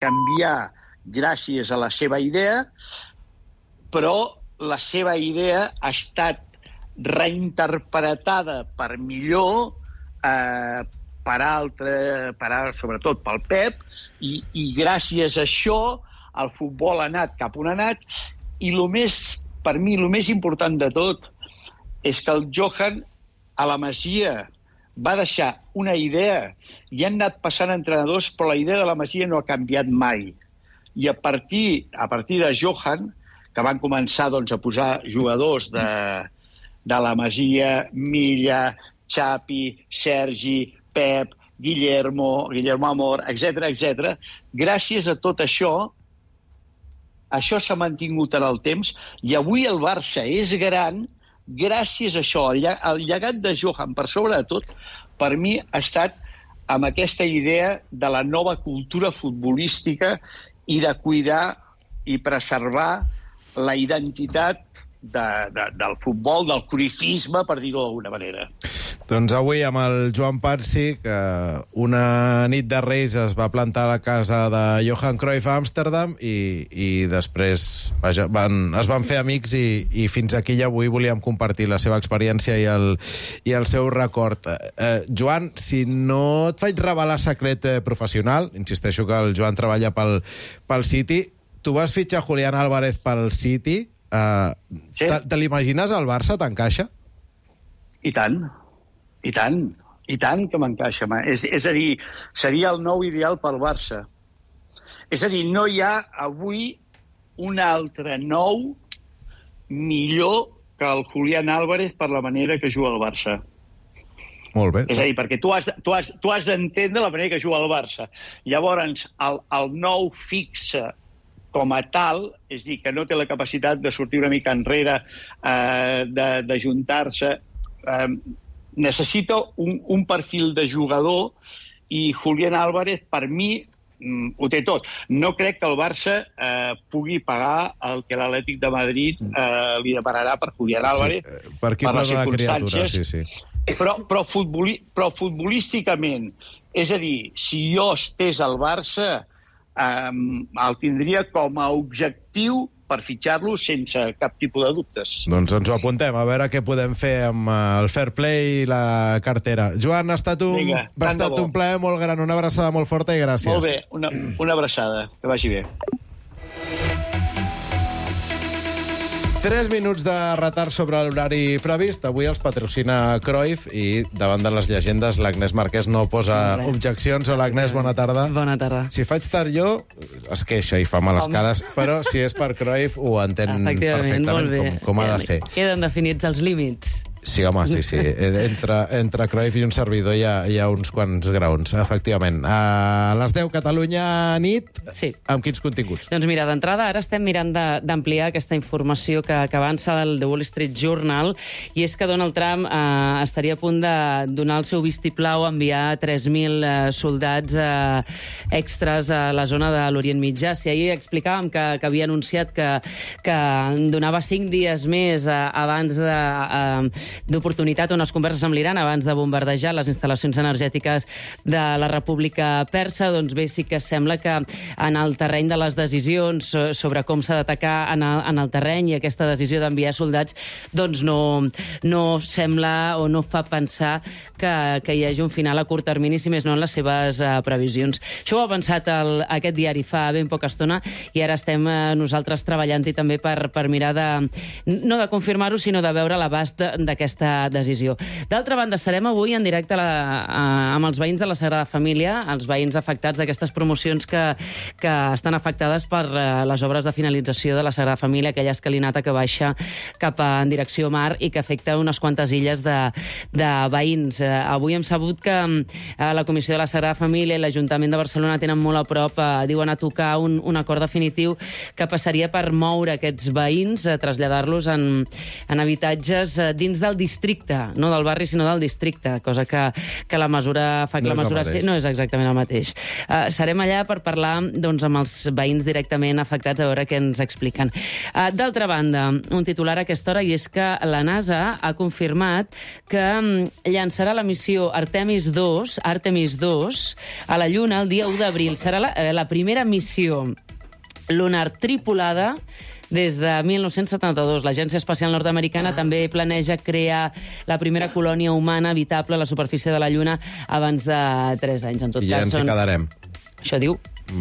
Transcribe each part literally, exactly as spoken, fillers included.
canviar gràcies a la seva idea, però la seva idea ha estat reinterpretada per millor eh, per altre, per, sobretot pel Pep, i, i gràcies a això el futbol ha anat cap on ha anat, i lo més, per mi el més important de tot és que el Johan a la Masia va deixar una idea, i han anat passant entrenadors, però la idea de la Masia no ha canviat mai. I a partir, a partir de Johan, que van començar doncs, a posar jugadors de, de la Masia, Milla, Xapi, Sergi, Pep, Guillermo, Guillermo Amor, etcètera, etcètera. Gràcies a tot això, això s'ha mantingut en el temps, i avui el Barça és gran gràcies a això. El llegat de Johan, per sobre de tot, per mi ha estat amb aquesta idea de la nova cultura futbolística i de cuidar i preservar la identitat de, de, del futbol, del cruyffisme, per dir-ho d'alguna manera. Doncs avui amb el Joan Parsi, que una nit de Reis es va plantar a la casa de Johan Cruyff a Amsterdam i, i després vaja, van, es van fer amics i, i fins aquí ja avui volíem compartir la seva experiència i el, i el seu record. Eh, Joan, si no et faig revelar secret eh, professional, insisteixo que el Joan treballa pel, pel City, tu vas fitxar Julián Álvarez pel City, eh, sí. te, te l'imagines al Barça, t'encaixa? I tant. I tant, i tant que m'encaixa. És, és a dir, seria el nou ideal pel Barça. És a dir, no hi ha avui un altre nou millor que el Julián Álvarez per la manera que juga el Barça. Molt bé. És a dir, perquè tu has, tu has, tu has d'entendre la manera que juga el Barça. Llavors, el, el nou fixe com a tal, és a dir, que no té la capacitat de sortir una mica enrere, eh, de, de juntar-se... Eh, necessita un, un perfil de jugador, i Julián Álvarez, per mi, mm, ho té tot. No crec que el Barça eh, pugui pagar el que l'Atlètic de Madrid eh, li demanarà per Julián Álvarez, sí, per, per les circumstàncies. Sí, sí. Però, però, futboli, però futbolísticament, és a dir, si jo estés al Barça, eh, el tindria com a objectiu per fitxar-lo sense cap tipus de dubtes. Doncs ens ho apuntem, a veure què podem fer amb el fair play i la cartera. Joan, ha estat un, Vinga, ha estat un plaer molt gran, una abraçada molt forta i gràcies. Molt bé, una, una abraçada, que vagi bé. Tres minuts de retard sobre l'horari previst. Avui els patrocina Cruyff i davant de les llegendes l'Agnès Marquès no posa objeccions. Hola, Agnès, bona tarda. Bona tarda. Si faig tard jo, es queixa i fa males cares, però si és per Cruyff ho entén perfectament com, com ha de ser. Queden definits els límits. Sí, home, sí, sí. Entre, entre Cruyff i un servidor hi ha, hi ha uns quants graons, efectivament. A les deu, Catalunya nit, sí. Amb quins continguts? Doncs mira, d'entrada ara estem mirant d'ampliar aquesta informació que, que avança del The Wall Street Journal, i és que Donald Trump eh, estaria a punt de donar el seu vistiplau a enviar tres mil eh, soldats eh, extras a la zona de l'Orient Mitjà. Si ahir explicàvem que, que havia anunciat que, que donava cinc dies més eh, abans de... Eh, d'oportunitat unes converses amb l'Iran abans de bombardejar les instal·lacions energètiques de la República Persa, doncs bé, sí que sembla que en el terreny de les decisions sobre com s'ha d'atacar en, el, en el terreny, i aquesta decisió d'enviar soldats doncs no, no sembla o no fa pensar que, que hi hagi un final a curt termini, si més no en les seves uh, previsions. Això ho ha pensat el, aquest diari fa ben poca estona, i ara estem uh, nosaltres treballant-hi també per, per mirar de, no de confirmar-ho, sinó de veure l'abast d'aquesta aquesta decisió. D'altra banda, serem avui en directe a la, a, amb els veïns de la Sagrada Família, els veïns afectats d'aquestes promocions que, que estan afectades per uh, les obres de finalització de la Sagrada Família, aquella escalinata que baixa cap a, en direcció mar i que afecta unes quantes illes de, de veïns. Uh, avui hem sabut que uh, la Comissió de la Sagrada Família i l'Ajuntament de Barcelona tenen molt a prop, uh, diuen, a tocar un, un acord definitiu que passaria per moure aquests veïns, uh, traslladar-los en, en habitatges uh, dins de del districte, no del barri, sinó del districte, cosa que, que la mesura fa que no la mesura sí, no és exactament el mateix. Uh, serem allà per parlar doncs, amb els veïns directament afectats, a veure què ens expliquen. Uh, D'altra banda, un titular a aquesta hora, i és que la NASA ha confirmat que um, llançarà la missió Artemis dos, Artemis dos a la Lluna el dia u d'abril. Serà la, eh, la primera missió lunar tripulada des de mil nou-cents setanta-dos. L'Agència Espacial Nord-Americana també planeja crear la primera colònia humana habitable a la superfície de la Lluna abans de tres anys. En tot I ja cas, ens hi són... quedarem. Això diu,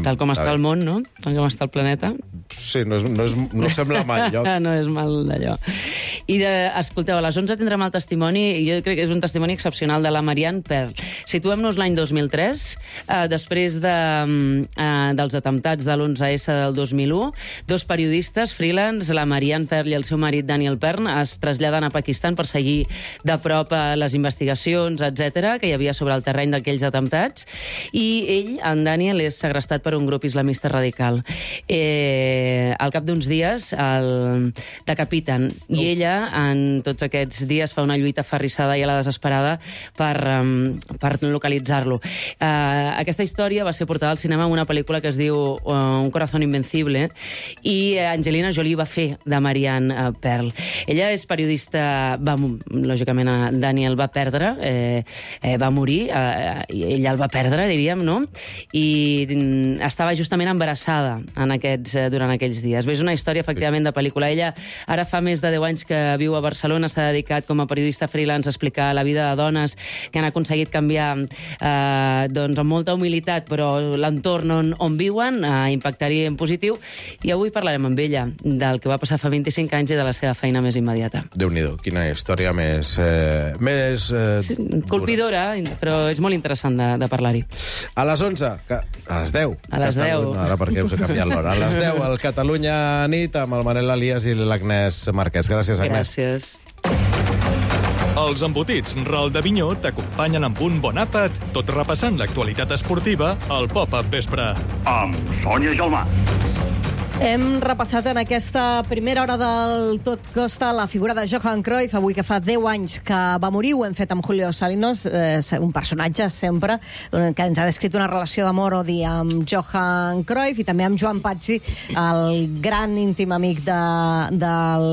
tal com Mm, està el món, no? Tal com està el planeta. Sí, no, és, no, és, no sembla mal lloc. No és mal d'allò. I, de, escolteu, a les onze tindrem el testimoni, i jo crec que és un testimoni excepcional, de la Marianne Pearl. Situem-nos l'any dos mil tres, eh, després de, eh, dels atemptats de l'onze esse del dos mil u, dos periodistes freelance, la Marianne Pearl i el seu marit Daniel Pern, es traslladen a Pakistan per seguir de prop les investigacions, etcètera, que hi havia sobre el terreny d'aquells atemptats, i ell, en Daniel, és segrestat per un grup islamista radical. Eh, al cap d'uns dies el decapiten, i oh. ella, en tots aquests dies, fa una lluita aferrissada i a la desesperada per, um, per localitzar-lo. Uh, aquesta història va ser portada al cinema en una pel·lícula que es diu uh, Un corazón invencible, i Angelina Jolie va fer de Marianne uh, Pearl. Ella és periodista, va, lògicament Daniel va perdre, eh, eh, va morir, eh, i ella el va perdre, diríem, no? I mm, estava justament embarassada en aquests, eh, durant aquells dies. Bé, és una història, efectivament, de pel·lícula. Ella ara fa més de deu anys que viu a Barcelona, s'ha dedicat com a periodista freelance a explicar la vida de dones que han aconseguit canviar eh, doncs, amb molta humilitat, però l'entorn on, on viuen, a impactar-hi en positiu, i avui parlarem amb ella del que va passar fa vint-i-cinc anys i de la seva feina més immediata. Déu-n'hi-do, quina història més... Eh, més eh, sí, colpidora, però és molt interessant de, de parlar-hi. A les onze, que, a les deu. A les deu. No, ara perquè us he canviat l'hora. A les deu, el Catalunya nit, amb el Manel Elias i l'Agnès Marquès. Gràcies, Agnès. Gràcies. Els embotits Ral de Vinyó t'acompanyen amb un bon àpat, tot repassant l'actualitat esportiva al Pop-Up Vespre. Amb Sònia Gelmà. Hem repassat en aquesta primera hora del Tot Costa la figura de Johan Cruyff, avui que fa deu anys que va morir. Ho hem fet amb Julio Salinos, eh, un personatge sempre, que ens ha descrit una relació d'amor-odi amb Johan Cruyff, i també amb Joan Pazzi, el gran íntim amic de, del,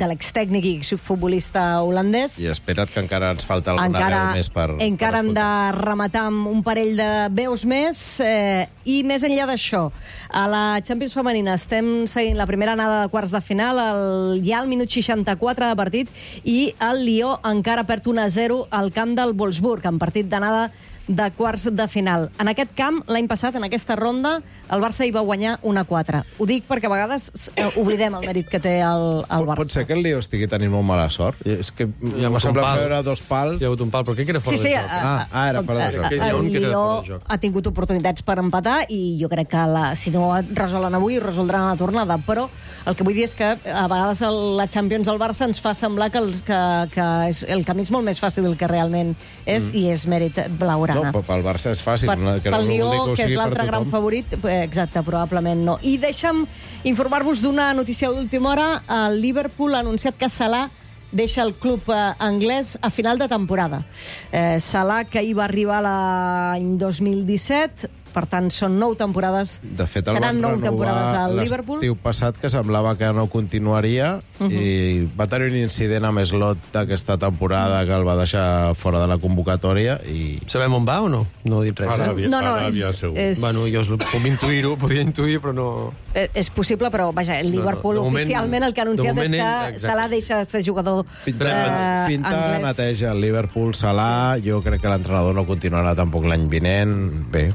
de l'extècnic i futbolista holandès. I espera't que encara ens falta alguna encara, veu més per Encara per hem de rematar amb un parell de veus més, eh, i més enllà d'això, a la Champions femenina estem seguint la primera anada de quarts de final, el, ja al minut seixanta-quatre de partit, i el Lió encara perd un a zero al camp del Wolfsburg, en partit d'anada de quarts de final. En aquest camp, l'any passat, en aquesta ronda, el Barça hi va guanyar un a quatre. Ho dic perquè a vegades eh, oblidem el mèrit que té el, el Barça. Pot ser que el Lió estigui tenint molt mala sort? És que m'ha semblat veure dos pals. Hi ha hagut un pal, però què que era fora sí, sí, de joc? A, Ah, ah, era fora de joc. El, el Lió ha tingut oportunitats per empatar, i jo crec que la, si no resolen avui, ho resoldran a la tornada. Però el que vull dir és que a vegades el, la Champions del Barça ens fa semblar que, el, que, que és, el camí és molt més fàcil del que realment és, mm. i és mèrit blaugrana. No, però pel Barça és fàcil. Per, que pel no Lió, que, que és l'altre gran favorit, exacte, probablement no. I deixa'm informar-vos d'una notícia d'última hora. El Liverpool ha anunciat que Salah deixa el club eh, anglès a final de temporada. Eh, Salah, que hi va arribar l'any dos mil disset, per tant, són nou temporades. De fet, el seran van nou temporades al renovar Liverpool. l'estiu passat, que semblava que no continuaria, uh -huh. i va tenir un incident amb Slot aquesta temporada que el va deixar fora de la convocatòria. I... Sabem on va o no? No he dit res. Aràbia, eh? No, no, Aràbia, és, segur. és, Bueno, jo es- puc intuir-ho, podia intuir, però no... eh, és possible, però vaja, el Liverpool No, no, de moment- oficialment el que ha anunciat de és moment que ell, Salah deixa de ser jugador Pinta, eh, pinta anglès. neteja el Liverpool, Salah. Jo crec que l'entrenador no continuarà tampoc l'any vinent. Bé,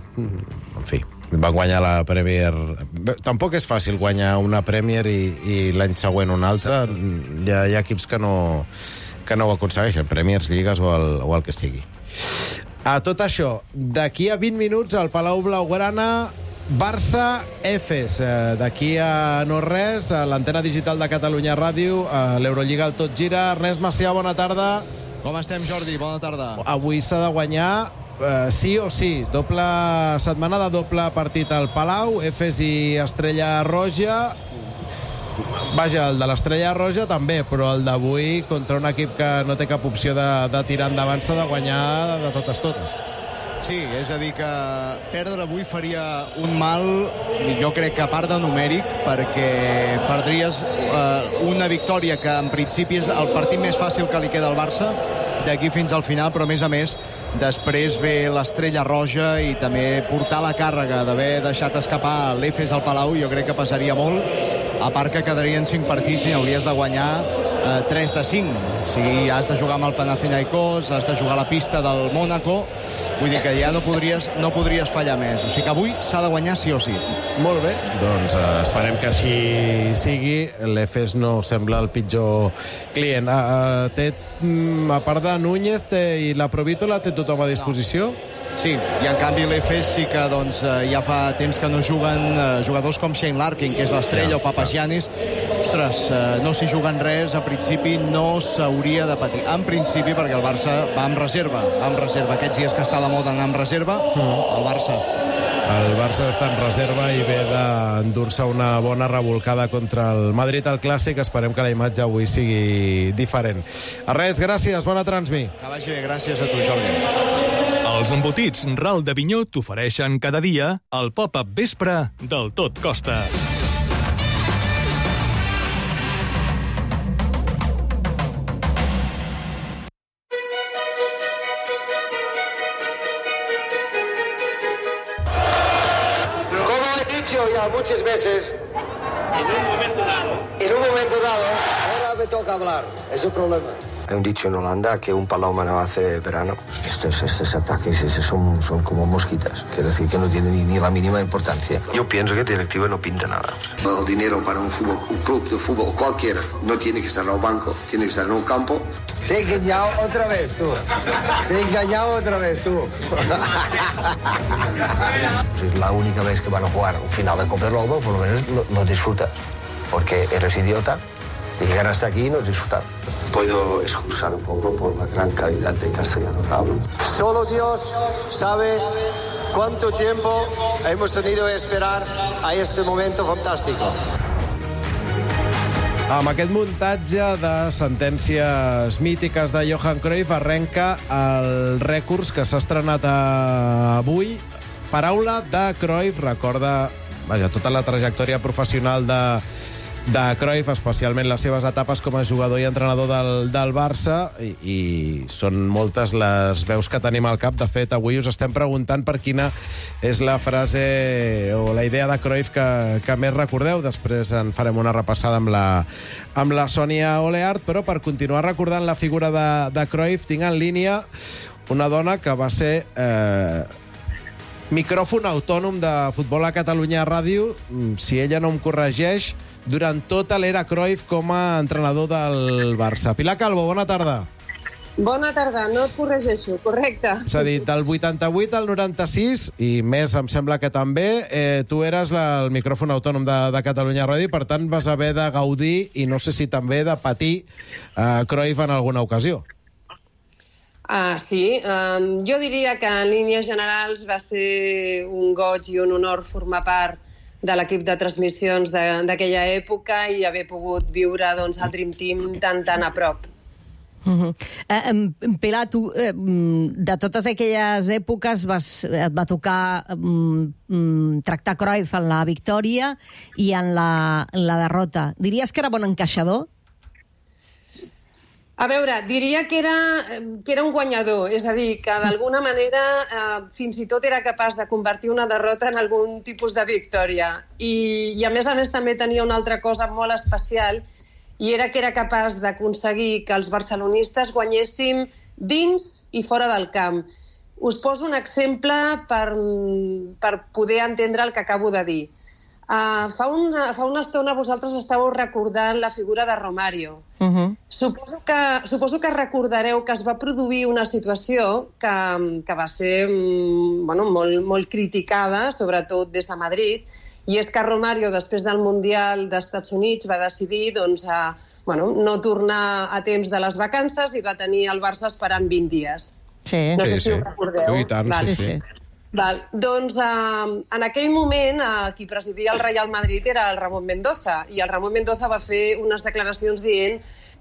en fi, va guanyar la Premier. Bé, tampoc és fàcil guanyar una Premier i, i l'any següent una altra. Hi ha, hi ha equips que no, que no ho aconsegueixen, Premiers, Lligues o el, o el que sigui. A tot això, d'aquí a vint minuts al Palau Blaugrana, Barça Efes. Eh, D'aquí a no res, a l'antena digital de Catalunya Ràdio, a l'Eurolliga el Tot Gira. Ernest Macià, bona tarda. Com estem, Jordi? Bona tarda. Avui s'ha de guanyar eh, sí o sí. Doble setmana de doble partit al Palau, Efes i Estrella Roja. vaja, el de l'Estrella Roja també, però el d'avui contra un equip que no té cap opció de, de tirar endavant s'ha de guanyar de, de totes totes. Sí, és a dir que perdre avui faria un mal, jo crec que a part de numèric, perquè perdries eh, una victòria que en principi és el partit més fàcil que li queda al Barça d'aquí fins al final, però a més a més després ve l'Estrella Roja i també portar la càrrega d'haver deixat escapar l'Efes al Palau, jo crec que passaria molt, a part que quedarien cinc partits i hauries de guanyar eh, tres de cinc. O sigui, has de jugar amb el Panathinaikos, has de jugar a la pista del Mónaco, vull dir que ja no podries, no podries fallar més. O sigui que avui s'ha de guanyar sí o sí. Molt bé, doncs eh, esperem que així sigui. L'Efes no sembla el pitjor client. Uh, té, mm, a part de Núñez té, i la Provítola, té tothom a disposició? No. Sí, i en canvi l'Efes sí que doncs, ja fa temps que no juguen eh, jugadors com Shane Larkin, que és l'estrella, ja, o Papagiannis. Ostres, eh, no s'hi juguen res, a principi no s'hauria de patir. En principi, perquè el Barça va amb reserva, va amb reserva. Aquests dies que està la moda anar amb reserva, mm. el Barça... El Barça està en reserva i ve d'endur-se una bona revolcada contra el Madrid al Clàssic. Esperem que la imatge avui sigui diferent. A res, gràcies, bona transmi. Que vagi bé, gràcies a tu, Jordi. Els embotits Ral de Vinyó t'ofereixen cada dia el pop-up vespre del Tot Costa. Ya muchas veces en un momento dado en un momento dado ahora me toca hablar, es el problema. Hay un dicho en Holanda que un paloma no hace verano. Estos, estos ataques estos son, son como mosquitas, quiere decir que no tienen ni, ni la mínima importancia. Yo pienso que el directivo no pinta nada. El dinero para un, fútbol, un club de fútbol cualquiera no tiene que estar en el banco, tiene que estar en un campo. Te he engañado otra vez tú. Te he engañado otra vez tú. Pues es la única vez que van a jugar un final de Copa del Lobo, por lo menos lo, lo disfrutas. Porque eres idiota y llegar hasta aquí y no disfrutar. Puedo excusar un poco por la gran calidad de castellano que hablo. Solo Dios sabe cuánto tiempo hemos tenido que esperar a este momento fantástico. Amb aquest muntatge de sentències mítiques de Johan Cruyff arrenca el rècords que s'ha estrenat avui. Paraula de Cruyff recorda, vaja, tota la trajectòria professional de, de Cruyff, especialment les seves etapes com a jugador i entrenador del, del Barça, i, i són moltes les veus que tenim al cap. De fet, avui us estem preguntant per quina és la frase o la idea de Cruyff que, que més recordeu. Després en farem una repassada amb la, amb la Sònia Oleart, però per continuar recordant la figura de, de Cruyff tinc en línia una dona que va ser eh, micròfon autònom de Futbol a Catalunya Ràdio, si ella no em corregeix, durant tota l'era Cruyff com a entrenador del Barça. Pilar Calvo, bona tarda. Bona tarda, no et corregeixo, correcte. És a dir, del vuitanta-vuit al noranta-sis, i més em sembla que també, eh, tu eres la, el micròfon autònom de, de Catalunya Ràdio, per tant vas haver de gaudir, i no sé si també de patir, eh, Cruyff en alguna ocasió. Ah, sí, um, jo diria que en línies generals va ser un goig i un honor formar part de l'equip de transmissions d'aquella època i haver pogut viure doncs, el Dream Team tan, tan a prop. Uh-huh. Uh, Pilar, tu, uh, de totes aquelles èpoques vas, et va tocar um, um, tractar Cruyff en la victòria i en la, en la derrota. Diries que era bon encaixador? A veure, diria que era, que era un guanyador, és a dir, que d'alguna manera eh, fins i tot era capaç de convertir una derrota en algun tipus de victòria. I, i a més a més també tenia una altra cosa molt especial, i era que era capaç d'aconseguir que els barcelonistes guanyéssim dins i fora del camp. Us poso un exemple per, per poder entendre el que acabo de dir. Uh, fa, una, fa una estona vosaltres estàveu recordant la figura de Romario. Uh-huh. Suposo que, suposo que recordareu que es va produir una situació que, que va ser bueno, molt, molt criticada, sobretot des de Madrid, i és que Romario, després del Mundial dels Estats Units, va decidir doncs, a, bueno, no tornar a temps de les vacances i va tenir el Barça esperant vint dies. Sí, no sí, sé si sí. ho recordeu. I tant, vale. sí, sí. Val. Doncs eh, en aquell moment eh, qui presidia el Real Madrid era el Ramón Mendoza, i el Ramón Mendoza va fer unes declaracions dient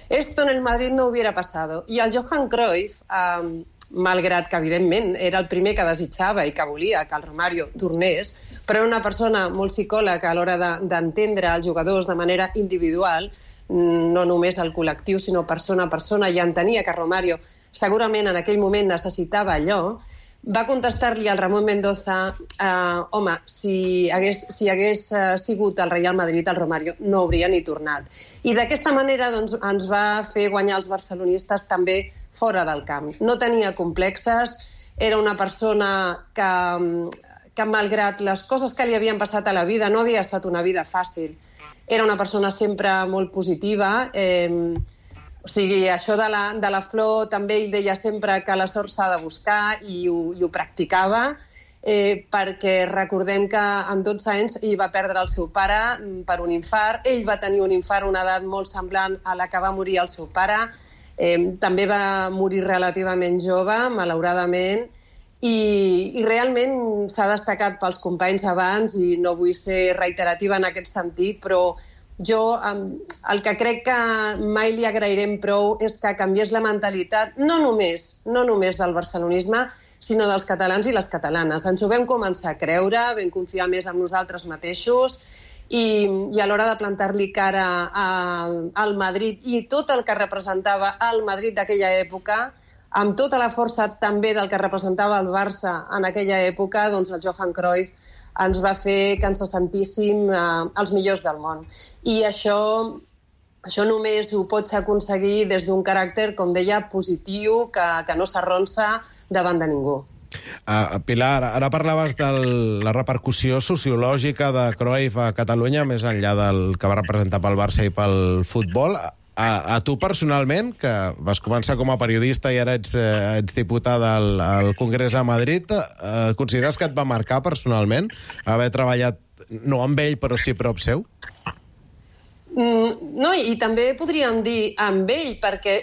«Esto en el Madrid no hubiera pasado». I el Johan Cruyff, eh, malgrat que evidentment era el primer que desitjava i que volia que el Romario tornés, però era una persona molt psicòloga a l'hora d'entendre els jugadors de manera individual, no només el col·lectiu, sinó persona a persona, i entenia que Romario segurament en aquell moment necessitava allò, va contestar-li al Ramón Mendoza eh, home, si hagués, si hagués eh, sigut el Real Madrid, el Romario no hauria ni tornat. I d'aquesta manera doncs, ens va fer guanyar els barcelonistes també fora del camp. No tenia complexes, era una persona que, que malgrat les coses que li havien passat a la vida, no havia estat una vida fàcil. Era una persona sempre molt positiva, eh, o sigui, això de la, de la flor també ell deia sempre que la sort s'ha de buscar i ho, i ho practicava, eh, perquè recordem que amb dotze anys ell va perdre el seu pare per un infart, ell va tenir un infart a una edat molt semblant a la que va morir el seu pare, eh, també va morir relativament jove, malauradament, i, i realment s'ha destacat pels companys abans i no vull ser reiterativa en aquest sentit, però jo el que crec que mai li agrairem prou és que canviés la mentalitat, no només, no només del barcelonisme, sinó dels catalans i les catalanes. Ens ho vam començar a creure, vam confiar més en nosaltres mateixos i, i a l'hora de plantar-li cara a, al Madrid i tot el que representava el Madrid d'aquella època, amb tota la força també del que representava el Barça en aquella època, doncs el Johan Cruyff ens va fer que ens sentíssim eh, els millors del món. I això, això només ho pots aconseguir des d'un caràcter, com deia, positiu, que, que no s'arronsa davant de ningú. Uh, Pilar, ara parlaves de la repercussió sociològica de Cruyff a Catalunya, més enllà del que va representar pel Barça i pel futbol. A, a tu personalment, que vas començar com a periodista i ara ets, eh, ets diputada al, al Congrés a Madrid, eh, consideres que et va marcar personalment haver treballat, no amb ell, però sí prop seu? Mm, no, i també podríem dir amb ell, perquè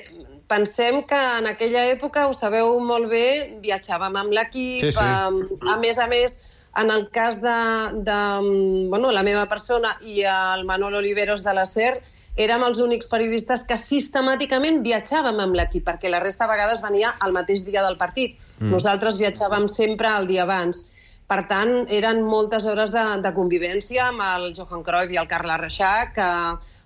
pensem que en aquella època, ho sabeu molt bé, viatjàvem amb l'equip, sí, sí. A, a més a més, en el cas de, de bueno, la meva persona i el Manolo Oliveros de la SER, érem els únics periodistes que sistemàticament viatjàvem amb l'equip, perquè la resta de vegades venia el mateix dia del partit. Mm. Nosaltres viatjàvem sempre el dia abans. Per tant, eren moltes hores de, de convivència amb el Johan Cruyff i el Carles Reixac,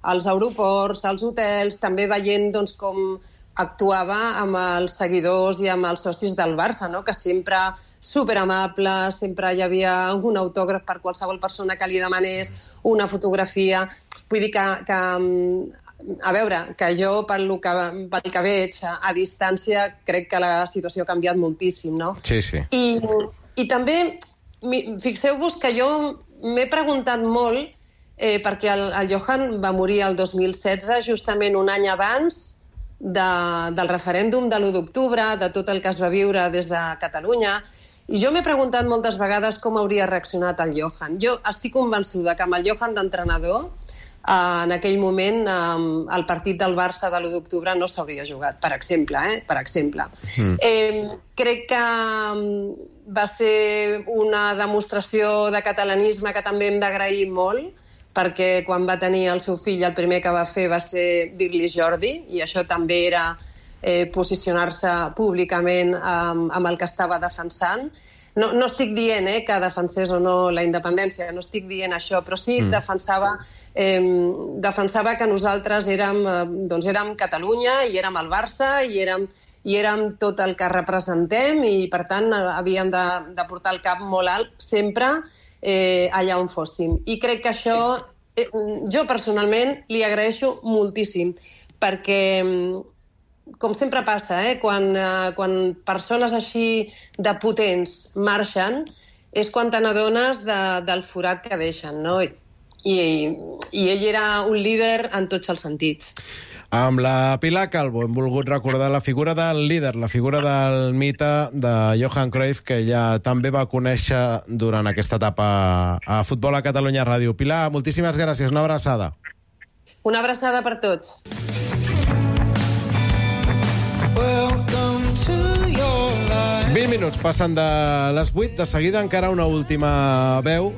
als aeroports, als hotels, també veient doncs, com actuava amb els seguidors i amb els socis del Barça, no? Que sempre superamable, sempre hi havia un autògraf per qualsevol persona que li demanés, una fotografia. Vull dir que, que a veure, que jo, pel que, pel que veig a, a distància, crec que la situació ha canviat moltíssim, no? Sí, sí. I, i també, fixeu-vos que jo m'he preguntat molt, eh, perquè el, el Johan va morir el dos mil setze, justament un any abans de, del referèndum de l'u d'octubre, de tot el que es va viure des de Catalunya, i jo m'he preguntat moltes vegades com hauria reaccionat el Johan. Jo estic convençuda que amb el Johan d'entrenador, eh, en aquell moment, eh, el partit del Barça de l'u d'octubre no s'hauria jugat, per exemple. Eh? Per exemple. Mm. Eh, crec que va ser una demostració de catalanisme que també hem d'agrair molt, perquè quan va tenir el seu fill el primer que va fer va ser dir-li Jordi, i això també era eh, posicionar-se públicament amb, amb el que estava defensant. No, no estic dient eh, que defensés o no la independència, no estic dient això, però sí mm. defensava, eh, defensava que nosaltres érem, eh, doncs érem Catalunya i érem el Barça i érem, i érem tot el que representem i, per tant, havíem de, de portar el cap molt alt sempre eh, allà on fóssim. I crec que això, eh, jo personalment li agraeixo moltíssim, perquè com sempre passa, eh? quan, eh, quan persones així de potents marxen, és quan te n'adones de, del forat que deixen, no? I, i, I ell era un líder en tots els sentits. Amb la Pilar Calvo hem volgut recordar la figura del líder, la figura del mite de Johan Cruyff, que ella també va conèixer durant aquesta etapa a Futbol a Catalunya Ràdio. Pilar, moltíssimes gràcies, una abraçada. Una abraçada per tots. vint minuts passen de les vuit. De seguida encara una última veu.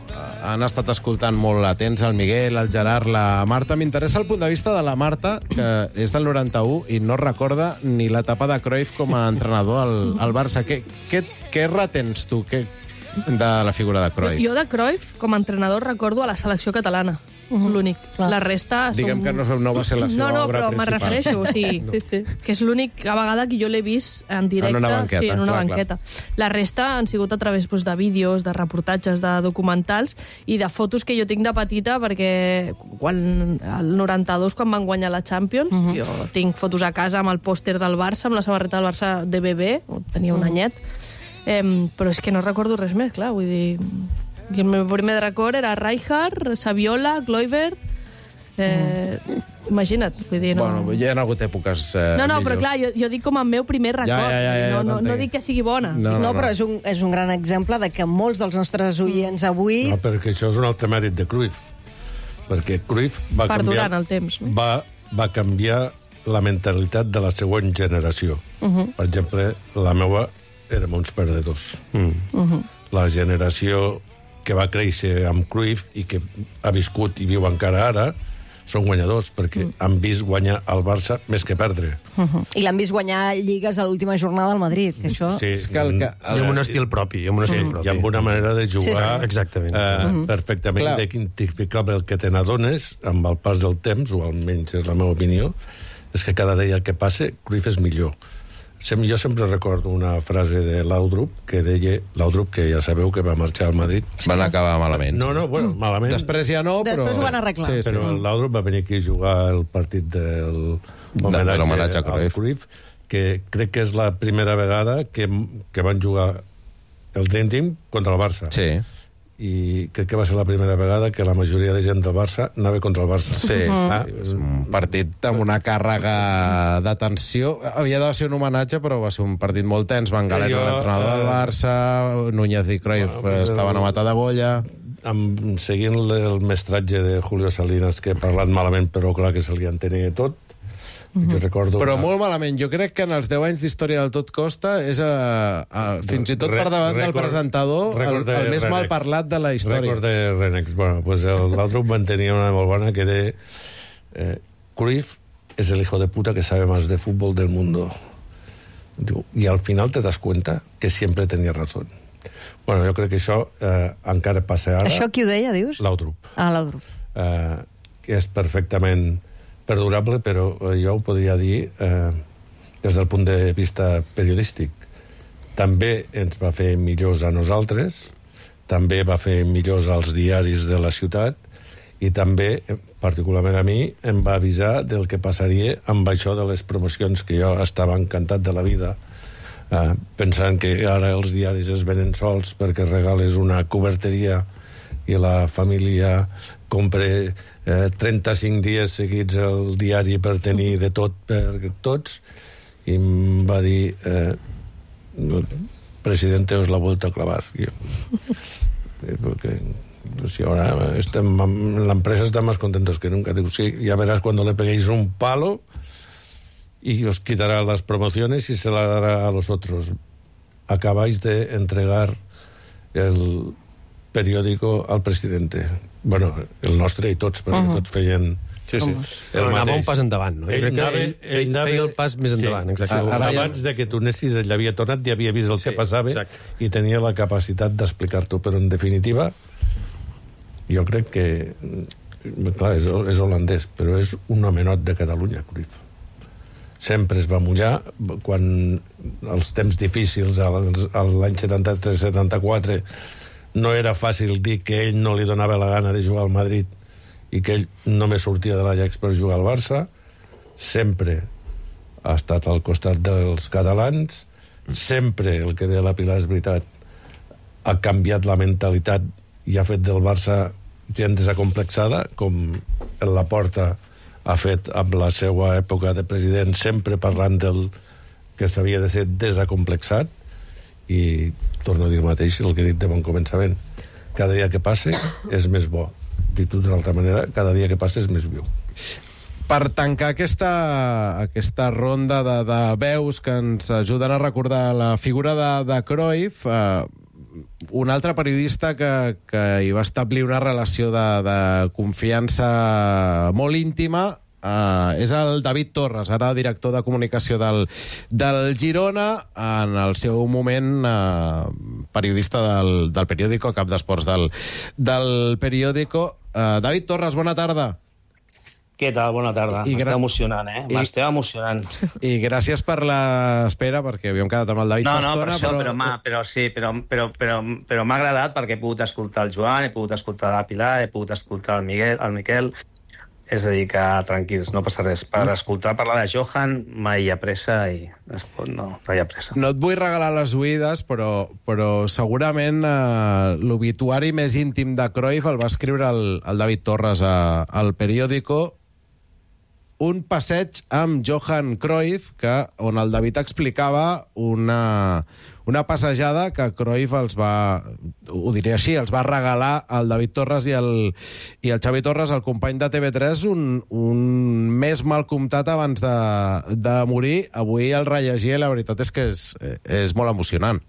Han estat escoltant molt atents el Miguel, el Gerard, la Marta. M'interessa el punt de vista de la Marta, que és del noranta-u i no recorda ni l'etapa de Cruyff com a entrenador al, al Barça. Què, què, què retens tu què, de la figura de Cruyff? Jo de Cruyff, com a entrenador, recordo a la selecció catalana. Uh-huh. L'únic. La resta... Diguem som... que no, no va ser la seva no, no, obra principal. No, no, però me refereixo. O sigui, no. sí, sí. Que és l'única vegada que jo l'he vist en directe. En una banqueta. Sí, en una clar, banqueta. Clar. La resta han sigut a través doncs, de vídeos, de reportatges, de documentals i de fotos que jo tinc de petita, perquè quan el noranta-dos, quan van guanyar la Champions, uh-huh. jo tinc fotos a casa amb el pòster del Barça, amb la samarreta del Barça de bebè, tenia un uh-huh. anyet, eh, però és que no recordo res més, clar, vull dir... El meu primer record era Rijkaard, Saviola, Kluivert. Eh, mm. Imagina't, vull dir, no... Bueno, ja hi ha hagut èpoques eh, No, no, millors. però clar, jo, jo dic com el meu primer record. Ja, ja, ja, ja, no, no, no, no dic que sigui bona. No, no, no, però és un, és un gran exemple de que molts dels nostres oients avui... No, perquè això és un altre mèrit de Cruyff. Perquè Cruyff va Perdurant canviar... el temps. No? Va, va canviar la mentalitat de la següent generació. Uh -huh. Per exemple, la meva érem uns perdedors. Mm. Uh -huh. La generació que va créixer amb Cruyff i que ha viscut i viu encara ara són guanyadors, perquè mm. han vist guanyar el Barça més que perdre. Uh-huh. I l'han vist guanyar lligues a l'última jornada al Madrid, que això... Sí, és que el, que, el... I amb un estil propi. I amb un estil sí, propi. I amb una manera de jugar sí, sí. Exactament. Eh, uh-huh. perfectament Clar. identificable. El que te n'adones, amb el pas del temps, o almenys és la meva opinió, és que cada dia que passa, Cruyff és millor. Sem jo sempre recordo una frase de Laudrup que deia, Laudrup, que ja sabeu que va marxar al Madrid. Van acabar malament. No, no, bueno, malament. Després ja no, però... Després ho van arreglar. Sí, sí. Però el Laudrup va venir aquí a jugar el partit del homenatge a Cruyff. Cruyff, que crec que és la primera vegada que, que van jugar el Dream Team contra el Barça. Sí. I crec que va ser la primera vegada que la majoria de gent del Barça anava contra el Barça. Sí, sí, ah, sí, és un partit amb una càrrega de tensió. Havia de ser un homenatge, però va ser un partit molt tens. Van Galer, Jo, l'entrenador del Barça, Núñez i Cruyff bueno, pues estaven a matar de golla. Amb, seguint el mestratge de Julio Salinas, que ha parlat malament, però clar que se li entenia tot, Mm-hmm. jo recordo però una... molt malament. Jo crec que en els deu anys d'història del Tot Costa és a, a, fins i tot per davant record, del presentador el, el més mal parlat de la història. Record de Renex. Bueno, pues l'altre van tenir una molt bona que de eh, Cruyff es el hijo de puta que sabe más de fútbol del mundo. Diu, i al final te das cuenta que siempre tenía razón. Bueno, jo crec que això eh, encara passa ara. Això qui ho deia, dius? Laudrup. Ah, Laudrup. Eh, que és perfectament perdurable, però jo ho podria dir eh, des del punt de vista periodístic. També ens va fer millors a nosaltres, també va fer millors als diaris de la ciutat i també, particularment a mi, em va avisar del que passaria amb això de les promocions, que jo estava encantat de la vida, eh, pensant que ara els diaris es venen sols perquè regales una coberteria i la família compre eh, trenta-cinc dies seguits el diari per tenir de tot per tots, i em va dir eh, presidente, os la he vuelto a clavar. I jo, porque si ahora estem, la empresa está más contentos que nunca. Digo, sí, ya verás cuando le peguéis un palo y os quitará las promociones y se la dará a los otros. Acabáis de entregar el periòdico al presidente. Bueno, el nostre i tots, perquè uh-huh. tots feien... Sí, sí. Però anava un pas endavant, no? Ell, crec que anava, ell, ell, ell anava, feia el pas més endavant, sí. exacte. Ara, abans de que tu anessis, ell havia tornat, ja havia vist el sí, que passava exacte. I tenia la capacitat d'explicar-t'ho. Però, en definitiva, jo crec que... Clar, és, és holandès, però és un homenot de Catalunya, Cruyff. Sempre es va mullar quan els temps difícils, l'any setanta-tres setanta-quatre, no era fàcil dir que ell no li donava la gana de jugar al Madrid i que ell només sortia de l'Ajax per jugar al Barça. Sempre ha estat al costat dels catalans, sempre, el que deia la Pilar és veritat, ha canviat la mentalitat i ha fet del Barça gent desacomplexada, com el Laporta ha fet amb la seva època de president, sempre parlant del que s'havia de ser desacomplexat. I torno a dir el mateix, el que he dit de bon començament, cada dia que passa és més bo. Dit d'una altra manera, cada dia que passa és més viu. Per tancar aquesta, aquesta ronda de, de veus que ens ajuden a recordar la figura de, de Cruyff, eh, un altre periodista que, que hi va establir una relació de, de confiança molt íntima Uh, és el David Torres, ara director de comunicació del, del Girona, en el seu moment uh, periodista del, del periòdico, cap d'esports del, del periòdico. Uh, David Torres, bona tarda. Què tal? Bona tarda. M'està emocionant, eh? M'està emocionant. I gràcies per l'espera, perquè havíem quedat amb el David no, fa no, estona, per això, però... però, ma, però sí, però, però, però, però m'ha agradat perquè he pogut escoltar el Joan, he pogut escoltar la Pilar, he pogut escoltar el Miguel, el Miquel. És a dir, que tranquils, no passa res. Per escoltar parlar de Johan mai hi ha pressa i no, no hi ha pressa. No et vull regalar les oïdes, però, però segurament eh, l'obituari més íntim de Cruyff el va escriure el, el David Torres a, al periòdico, un passeig amb Johan Cruyff, que, on el David explicava una, una passejada que Cruyff els va, ho diré així, els va regalar al David Torres i el, i el Xavi Torres, el company de T V tres, un, un mes mal comptat abans de, de morir. Avui el rellegia i la veritat és que és, és molt emocionant.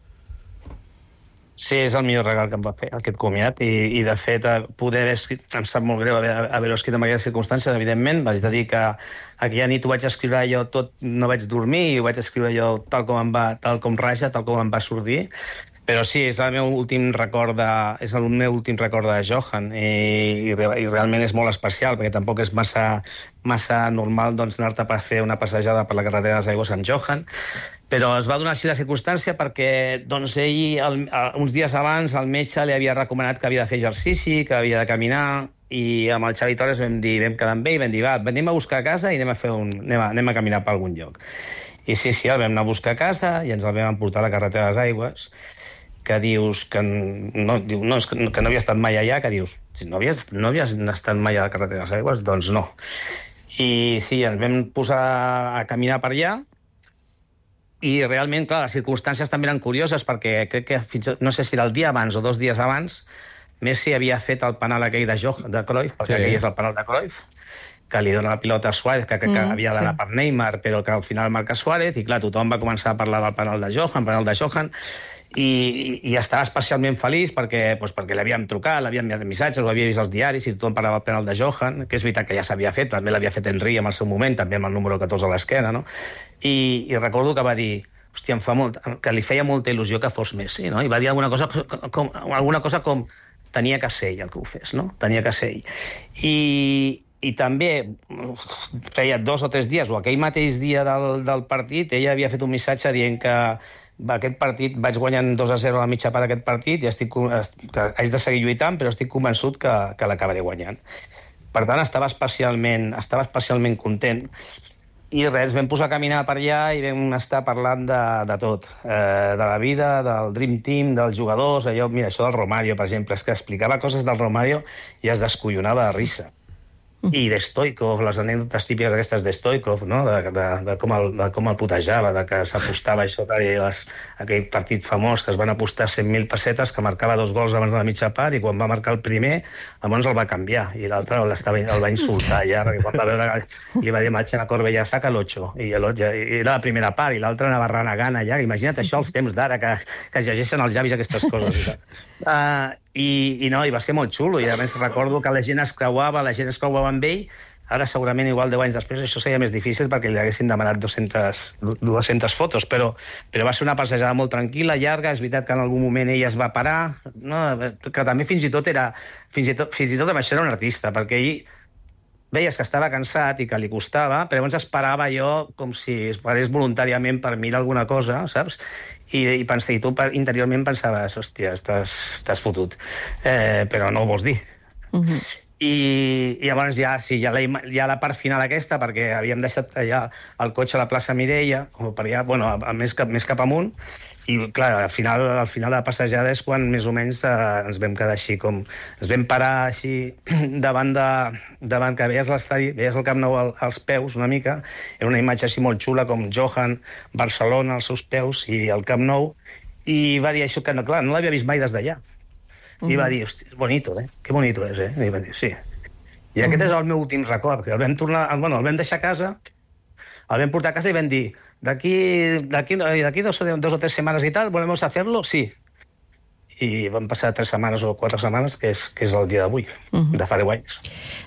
Sí, és el millor regal que em va fer, aquest comiat, i, i de fet, poder haver escrit, em sap molt greu haver, haver-ho escrit en aquestes circumstàncies, evidentment, vaig dir que aquella nit ho vaig escriure jo tot, no vaig dormir, i ho vaig escriure jo tal com em va, tal com raja, tal com em va sortir, però sí, és el meu últim record de, és el meu últim record de Johan, i, i, i realment és molt especial, perquè tampoc és massa, massa normal doncs, anar-te per fer una passejada per la carretera de les Aigües amb Johan, però es va donar així la circumstància perquè doncs, ell, el, uns dies abans, el metge li havia recomanat que havia de fer exercici, que havia de caminar, i amb el Xavi Torres vam dir, vam quedar amb ell i vam dir, va, anem a buscar a casa i anem a, fer un, anem a, anem a caminar per algun lloc. I sí, sí, el vam anar a buscar a casa i ens el vam emportar a la carretera de les Aigües, que dius que no, diu, no, que no havia estat mai allà, que dius, si no havies, no havies estat mai a la carretera de les Aigües, doncs no. I sí, ens vam posar a caminar per allà, i realment, clar, les circumstàncies també eren curioses perquè crec que fins, no sé si era el dia abans o dos dies abans, Messi havia fet el penal aquell de, jo, de Cruyff, perquè sí. Aquell és el penal de Cruyff, que li dona la pilota a Suárez, que, que, que mm, havia d'anar sí. per Neymar, però que al final marca Suárez, i clar, tothom va començar a parlar del penal de Johan, penal de Johan, i, i, i estava especialment feliç perquè, doncs, perquè l'havíem trucat, l'havíem enviat missatges, ho havia vist als diaris i tothom parlava del penal de Johan, que és veritat que ja s'havia fet, també l'havia fet Henry en el seu moment, també amb el número catorze a l'esquena, no? I, i recordo que va dir, hòstia, em fa molt, que li feia molta il·lusió que fos Messi, no? I va dir alguna cosa com, alguna cosa com tenia que ser ell el que ho fes, no? Tenia que ser ell. I, i també feia dos o tres dies, o aquell mateix dia del, del partit, ella havia fet un missatge dient que aquest partit vaig guanyant dos a zero a la mitja part d'aquest partit i estic, que haig de seguir lluitant, però estic convençut que, que l'acabaré guanyant. Per tant, estava especialment, estava especialment content. I res, vam posar a caminar per allà i vam estar parlant de, de tot, eh, de la vida, del Dream Team, dels jugadors, allò, mira, això del Romario, per exemple, és que explicava coses del Romario i es descollonava de risa. I de Stoikov, les anècdotes típiques aquestes de Stoikov, no? de, de, de, com el, de com el putejava, de que s'apostava això, les, aquell partit famós que es van apostar cent mil pessetes, que marcava dos gols abans de la mitja part, i quan va marcar el primer, llavors el va canviar, i l'altre el va insultar ja, perquè quan va veure, li va dir, Matxena Corbella, saca l'ocho, i, i era la primera part, i l'altre anava renegant allà, imagina't això als temps d'ara, que, que es llegeixen als llavis aquestes coses. Uh, i, i no, i va ser molt xulo, i a més recordo que la gent es creuava, la gent es creuava amb ell, ara segurament igual deu anys després això seria més difícil perquè li haguessin demanat dues-centes fotos, però, però va ser una passejada molt tranquil·la, llarga, és veritat que en algun moment ell es va parar, no? Que també fins i tot era, fins i tot, fins i tot amb això era un artista, perquè ell veies que estava cansat i que li costava, però llavors esperava allò com si es parés voluntàriament per mirar alguna cosa, saps? I, i, pensa, i tu interiorment pensaves, hòstia, estàs, estàs fotut, eh, però no ho vols dir. Uh-huh. I, i llavors ja, sí, ja, la, ja la part final aquesta, perquè havíem deixat allà el cotxe a la plaça Mireia, o per allà, bueno, a, a més, cap, més cap amunt, i clar, al final, al final de la passejada és quan més o menys eh, ens vam quedar així com... Ens vam parar així davant de... davant que veies l'estadi, veies el Camp Nou al, als peus una mica, era una imatge així molt xula com Johan, Barcelona als seus peus i el Camp Nou, i va dir això que, no, clar, no l'havia vist mai des d'allà. I va dir, hosti, és bonito, eh? Que bonito és, eh? I va dir, sí. I aquest és el meu últim record, que el vam tornar, bueno, el vam deixar a casa, el vam portar a casa i vam dir, d'aquí d'aquí d'aquí dos, dos o tres setmanes i tal, ¿volvemos a hacerlo? Sí. I van passar tres setmanes o quatre setmanes, que és, que és el dia d'avui, uh -huh. de fa deu anys.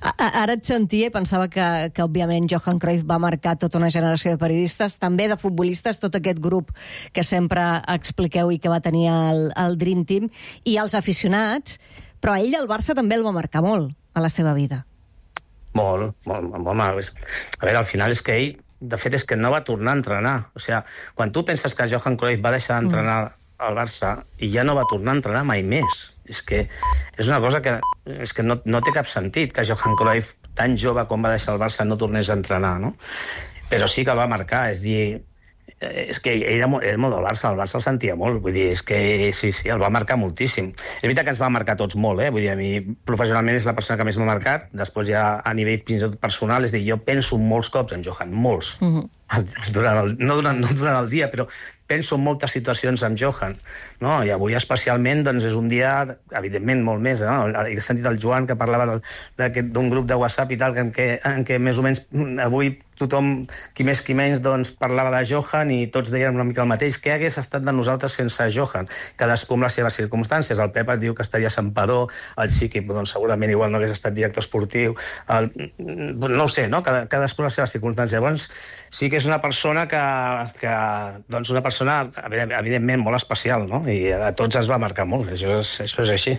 Ara et sentia i pensava que, que, òbviament, Johan Cruyff va marcar tota una generació de periodistes, també de futbolistes, tot aquest grup que sempre expliqueu i que va tenir el, el Dream Team, i els aficionats, però a ell el Barça també el va marcar molt a la seva vida. Molt, molt, molt, molt. A veure, al final és que ell, de fet, és que no va tornar a entrenar. O sigui, quan tu penses que Johan Cruyff va deixar d'entrenar mm. al Barça i ja no va tornar a entrenar mai més. És que és una cosa que, és que no, no té cap sentit que Johan Cruyff, tan jove com va deixar el Barça, no tornés a entrenar, no? Però sí que el va marcar, és dir, és que ell era molt, era molt del Barça, el Barça el sentia molt, vull dir, és que sí, sí, el va marcar moltíssim. És veritat que ens va marcar tots molt, eh? Vull dir, a mi professionalment és la persona que més m'ha marcat, després ja a nivell fins i tot personal, és dir, jo penso molts cops en Johan, molts, uh -huh. durant el, no, durant, no durant el dia, però penso en moltes situacions amb Johan, no? I avui especialment doncs, és un dia, evidentment, molt més. No? He sentit el Joan que parlava d'un grup de WhatsApp i tal, en què, en què més o menys avui tothom, qui més qui menys, doncs, parlava de Johan i tots deien una mica el mateix. Què hagués estat de nosaltres sense Johan? Cadascú amb les seves circumstàncies. El Pep et diu que estaria a Santpedor, el Chiqui doncs, segurament igual no hagués estat director esportiu, el, no ho sé, no? Cada, cadascú amb les seves circumstàncies. Llavors, sí que és una persona que, que doncs una persona evidentment molt especial, no? I a tots ens va marcar molt, això és, això és així.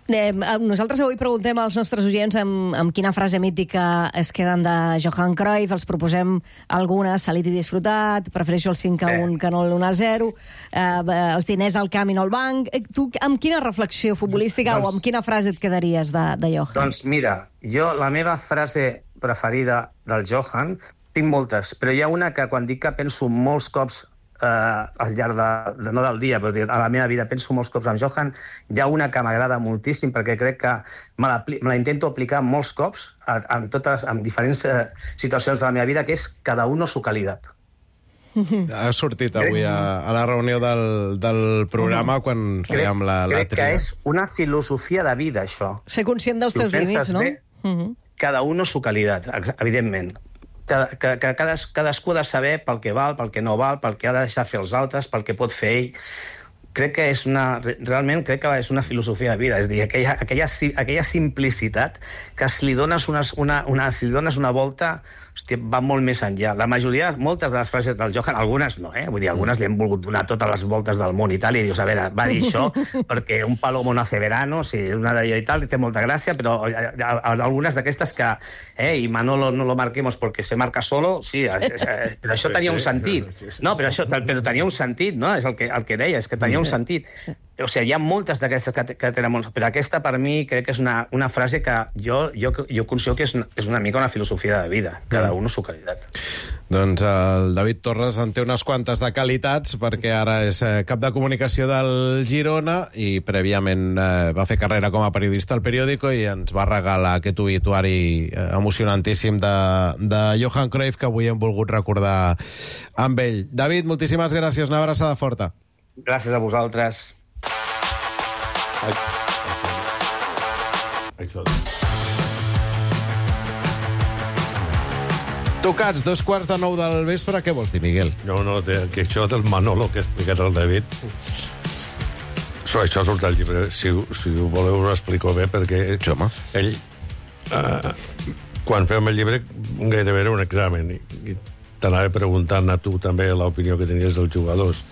Eh, nosaltres avui preguntem als nostres oients amb, amb quina frase mítica es queden de Johan Cruyff, els proposem algunes, salit i disfrutat, prefereixo el cinc a un que no l'u a zero, eh, els diners al camp i no al banc. Eh, tu amb quina reflexió futbolística doncs, o amb quina frase et quedaries de, de Johan? Doncs mira, jo la meva frase preferida del Johan, tinc moltes, però hi ha una que quan dic que penso molts cops eh, al llarg de, de, no del dia, però a la meva vida penso molts cops amb Johan, hi ha una que m'agrada moltíssim perquè crec que me la, me la intento aplicar molts cops en, totes, en diferents eh, situacions de la meva vida, que és cada uno su calidad. Ha sortit avui a, a la reunió del, del programa quan crec, fèiem la, la crec tria. Crec que és una filosofia de vida, això. Ser conscient dels si teus límits, no? Bé, uh -huh. Cada uno su calidad, evidentment. Que, que, que cades, cadascú ha de saber pel que val, pel que no val, pel que ha de deixar fer els altres, pel que pot fer ell. Crec que és una... Realment crec que és una filosofia de vida. És a dir, aquella, aquella, aquella simplicitat que si li dones una, una, una, si li dones una volta, hòstia, va molt més enllà. La majoria, moltes de les frases del Johan, algunes no, eh? Vull dir, algunes li han volgut donar totes les voltes del món i tal, i dius, a veure, va dir això perquè un palomo no hace verano, sí, és una d'allò i tal, i té molta gràcia, però algunes d'aquestes que, eh, i Manolo no lo marquemos porque se marca solo, sí, eh, però això tenia un sentit. No, però això però tenia un sentit, no? És el que, el que deia, és que tenia un sentit. O sigui, hi ha moltes d'aquestes que, que tenen molts, però aquesta per mi crec que és una, una frase que jo, jo, jo considero que és una, és una mica una filosofia de vida, cada un su qualitat. Doncs el David Torres en té unes quantes de qualitats, perquè ara és eh, cap de comunicació del Girona i prèviament eh, va fer carrera com a periodista al Periódico i ens va regalar aquest obituari eh, emocionantíssim de, de Johan Cruyff que avui hem volgut recordar amb ell. David, moltíssimes gràcies, una abraçada forta. Gràcies a vosaltres. Ai. Això. Tocats, dos quarts de nou del vespre, què vols dir, Miguel? No, no, que això del Manolo que ha explicat el David, això, això surt al llibre, si, si ho voleu us ho explico bé, perquè sí, home. ell, eh, quan fèiem el llibre, gairebé era un examen, i, i t'anava preguntant a tu també l'opinió que tenies dels jugadors.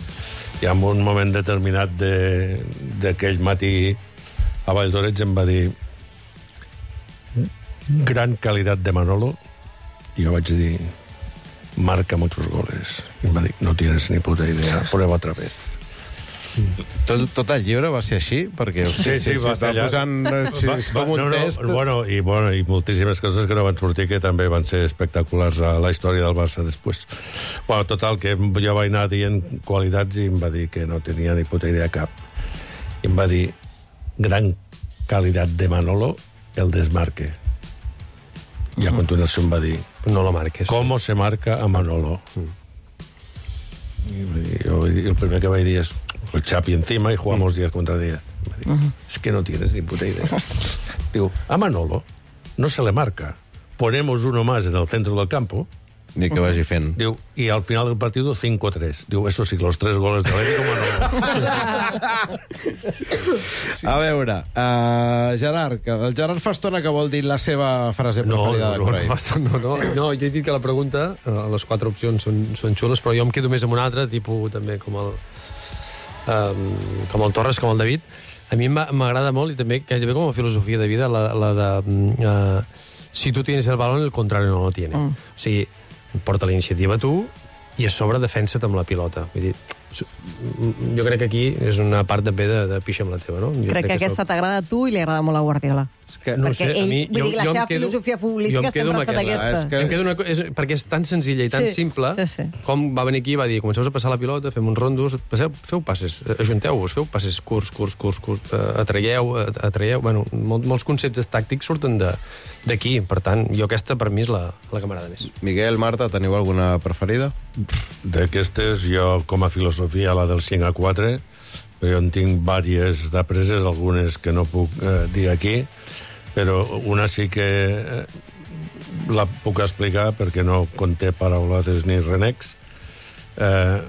I en un moment determinat d'aquell de, matí a Valldoreix em va dir gran qualitat de Manolo, i jo vaig dir marca muchos goles. I em va dir no tienes ni puta idea, prueba otra vez. Tot, tot el llibre va ser així? Perquè sí, sí, sí, va va posant, sí, és com un no, no, test. Bueno, i, bueno, i moltíssimes coses que no van sortir que també van ser espectaculars a la història del Barça després. Bueno, total, que jo vaig anar dient qualitats i em va dir que no tenia ni puta idea cap. I em va dir gran qualitat de Manolo, el desmarque. I a continuació em va dir no lo marques. ¿Cómo se marca a Manolo? Y yo, el primer que vaig dir és el Chapi encima y jugamos diez contra diez. Uh -huh. Es que no tienes ni puta idea. Diu, a Manolo no se le marca. Ponemos uno más en el centro del campo. I que vagi fent. Diu, i al final del partido cinco tres. Diu, eso sí, los tres goles de l'Atlético, no. A veure, uh, Gerard, que el Gerard fa estona que vol dir la seva frase preferida no, no, de Cruyff. No, no, no, no, jo he dit que la pregunta, uh, les quatre opcions són, són xules, però jo em quedo més amb una altra, tipus també com el, um, com el Torres, com el David. A mi m'agrada molt, i també gairebé com a filosofia de vida, la, la de... Uh, si tu tienes el balón, el contrario no lo tiene. Mm. O sigui, porta la iniciativa tu i a sobre defensa't amb la pilota. Vull dir, jo crec que aquí és una part també de, de pixa amb la teva, no? Jo crec, crec que, que aquesta t'agrada a tu i li agrada molt a Guardiola. És que, no perquè sé, ell, a mi, vull jo, dir, la seva quedo, filosofia futbolística sempre ha estat aquesta. És que... em quedo una, és, perquè és tan senzilla i tan sí, simple, sí, sí. Com va venir aquí i va dir, comenceu a passar la pilota, fem uns rondos, passeu, feu passes, ajunteu-vos, feu passes curts, curts, curts, curts, atraieu, atraieu... Bueno, mol, molts conceptes tàctics surten d'aquí, per tant, jo aquesta per mi és la, la que m'agrada més. Miguel, Marta, teniu alguna preferida? D'aquestes, jo, com a filosofia, la del cinc a quatre, però jo en tinc diverses d'apreses, algunes que no puc eh, dir aquí, però una sí que eh, la puc explicar perquè no conté paraulotes ni renecs. Eh,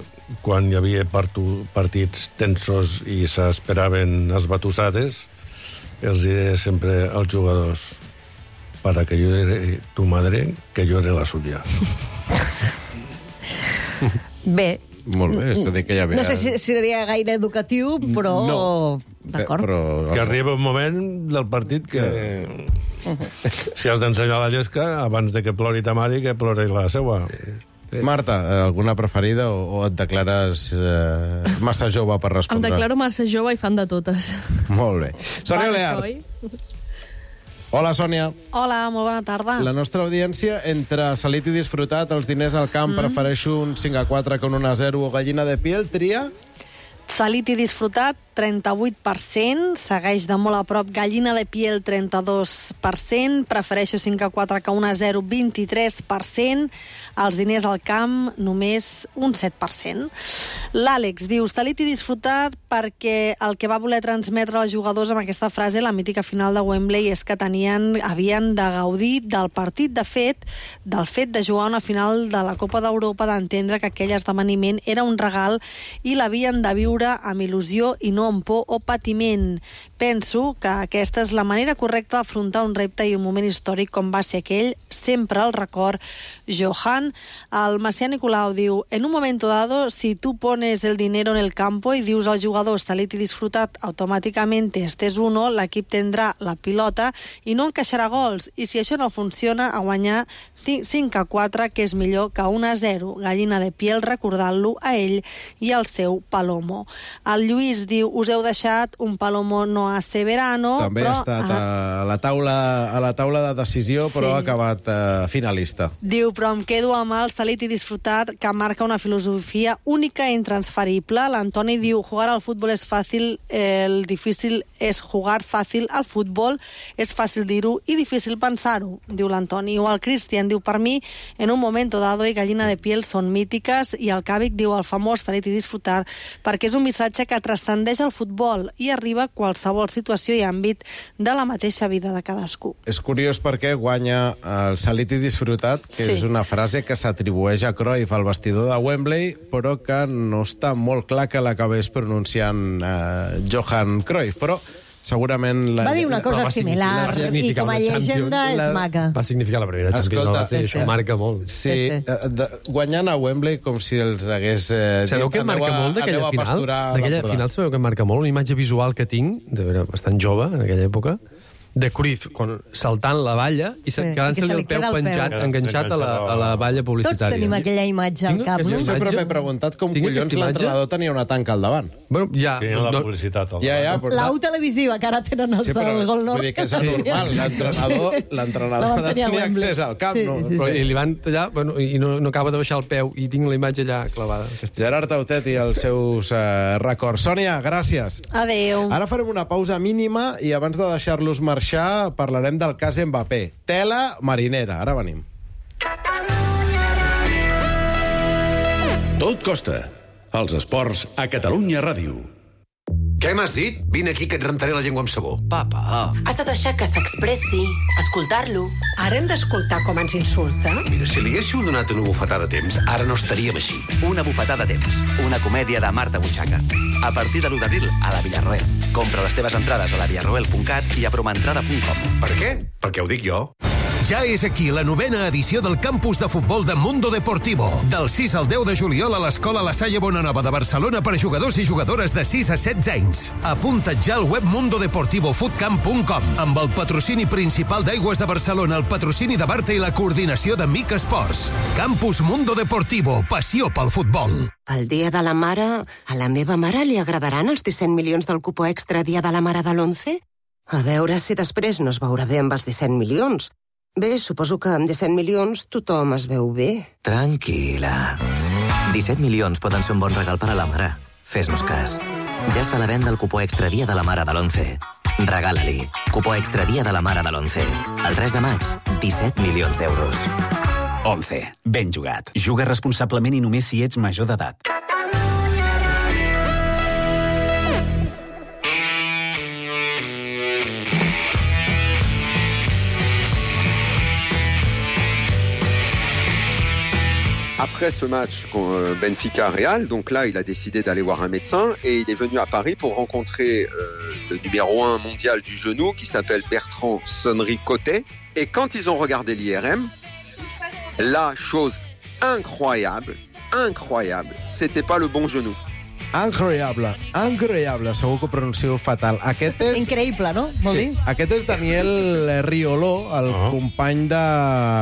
quan hi havia partu, partits tensos i s'esperaven esbatussades, els deia sempre als jugadors para que yo era tu madre, que jo era la suya. Bé, molt bé, és a dir que ja ve... No sé si seria gaire educatiu, però... No. D'acord. Però... Que arriba un moment del partit que... si has d'ensenyar la llesca, abans de que plori ta mare, que plori la seua. Marta, alguna preferida o, o et declares eh, massa jove per respondre? Em declaro massa jove i fan de totes. Molt bé. Sònia Leart. Hola, Sònia. Hola, molt bona tarda. La nostra audiència, entre salit i disfrutat, els diners al camp, mm. prefereixo un cinc a quatre que un un a zero o gallina de piel, tria? Salit i disfrutat, trenta-vuit per cent. Segueix de molt a prop gallina de piel, trenta-dos per cent. Prefereixo cinc a quatre que un a zero, vint-i-tres per cent. Els diners al camp, només un set per cent. L'Àlex diu, salit i disfrutat perquè el que va voler transmetre als jugadors amb aquesta frase, la mítica final de Wembley, és que tenien, havien de gaudir del partit. De fet, del fet de jugar una final de la Copa d'Europa, d'entendre que aquell esdeveniment era un regal i l'havien de viure amb il·lusió i no amb por o patiment. Penso que aquesta és la manera correcta d'afrontar un repte i un moment històric com va ser aquell, sempre el record Johan. El Macià Nicolau diu, en un momento dado, si tú pones el dinero en el campo y dius al jugador salit i disfrutat, automàticamente este és uno, l'equip tindrà la pilota i no encaixarà gols. I si això no funciona, a guanyar cinc a quatre, que és millor que un a zero. Gallina de piel, recordant-lo a ell i al seu Palomo. El Lluís diu, us heu deixat un Palomo no hace verano, també però... ha estat a la taula, a la taula de decisió, però Sí. ha acabat eh, finalista. Diu, però em quedo amb el salit i disfrutat, que marca una filosofia única i intransferible. L'Antoni diu, jugar al futbol és fàcil, el difícil és jugar fàcil al futbol, és fàcil dir-ho i difícil pensar-ho, diu l'Antoni. O el Cristian diu, per mi, en un momento dado i gallina de piel són mítiques, i el Càvic diu, el famós salit i disfrutar, perquè és un missatge que transcendeix el futbol i arriba a qualsevol situació i àmbit de la mateixa vida de cadascú. És curiós perquè guanya el salit i disfrutat, que Sí. és una frase que s'atribueix a Cruyff al vestidor de Wembley, però que no està molt clar que l'acabés pronunciant eh, Johan Cruyff, però segurament... La... Va dir una cosa similar i com a llegenda és maca. Va significar la primera Champions. Escolta, sí, això marca molt. Sí, sí, sí. De, guanyant a Wembley com si els hagués... Eh, Sabeu què marca a, molt d'aquella final? D'aquella final sabeu què marca molt? Una imatge visual que tinc, de veure, bastant jove en aquella època, de Cruyff quan, saltant la valla i sí, quedant-se-li el peu penjat, peu. enganxat a la, a la valla publicitària. Tots tenim aquella imatge al cap. Jo sempre m'he preguntat com Tinc collons l'entrenador tenia una tanca al davant. Bueno, ja... Tenia la publicitat al ja, ja, però... L'au televisiva, que ara tenen els sí, però, del Gol Nord. Vull dir que és anormal. L'entrenador l'entrenador ha de tenir accés al camp. Sí, no? sí, sí, però, sí. I li van tallar, bueno, i no, no acaba de baixar el peu, i tinc la imatge allà clavada. Gerard Tautet i els seus eh, records. Sònia, gràcies. Adéu. Ara farem una pausa mínima i abans de deixar-los marxar parlarem del cas Mbappé. Tela marinera. Ara venim. Tot costa. Els esports a Catalunya Ràdio. Què m'has dit? Vine aquí que et rentaré la llengua amb sabó. Papa. Has de deixar que s'expressi, escoltar-lo. Ara hem d'escoltar com ens insulta? Mira, si li haguéssiu donat una bufetada a temps, ara no estaríem així. Una bufetada a temps, una comèdia de Marta Butxaca. A partir de l'u d'abril a la Villarroel. Compra les teves entrades a la villarroel punt cat i a promentrada punt com. Per què? Perquè ho dic jo. Ja és aquí la novena edició del campus de futbol de Mundo Deportivo. Del sis al deu de juliol a l'Escola La Salle Bonanova de Barcelona per a jugadors i jugadores de sis a setze anys. Apunta't ja al web mundo deportivo footcamp punt com amb el patrocini principal d'Aigües de Barcelona, el patrocini de Barta i la coordinació de Mic Esports. Campus Mundo Deportivo, passió pel futbol. El dia de la mare, a la meva mare li agradaran els disset milions del cupó extra dia de la mare de l'onze? A veure si després no es veurà bé amb els disset milions. Bé, suposo que amb disset milions tothom es veu bé. Tranquil·la. disset milions poden ser un bon regal per a la mare. Fes-nos cas. Ja està a la venda el cupó extra dia de la mare de l'onze. Regala-li. Cupó extra dia de la mare de l'onze. El tres de maig, disset milions d'euros. once. Ben jugat. Juga responsablement i només si ets major d'edat. Après ce match Benfica-Real, donc là, il a décidé d'aller voir un médecin et il est venu à Paris pour rencontrer euh, le numéro un mondial du genou qui s'appelle Bertrand Sonnery-Cotet. Et quand ils ont regardé l'I R M, la chose incroyable, incroyable, c'était pas le bon genou. Incroyable, incroyable, segur que ho pronuncio fatal. Aquest és... Increïble, no? Vol sí. dir? Aquest és Daniel Rioló, el oh. company de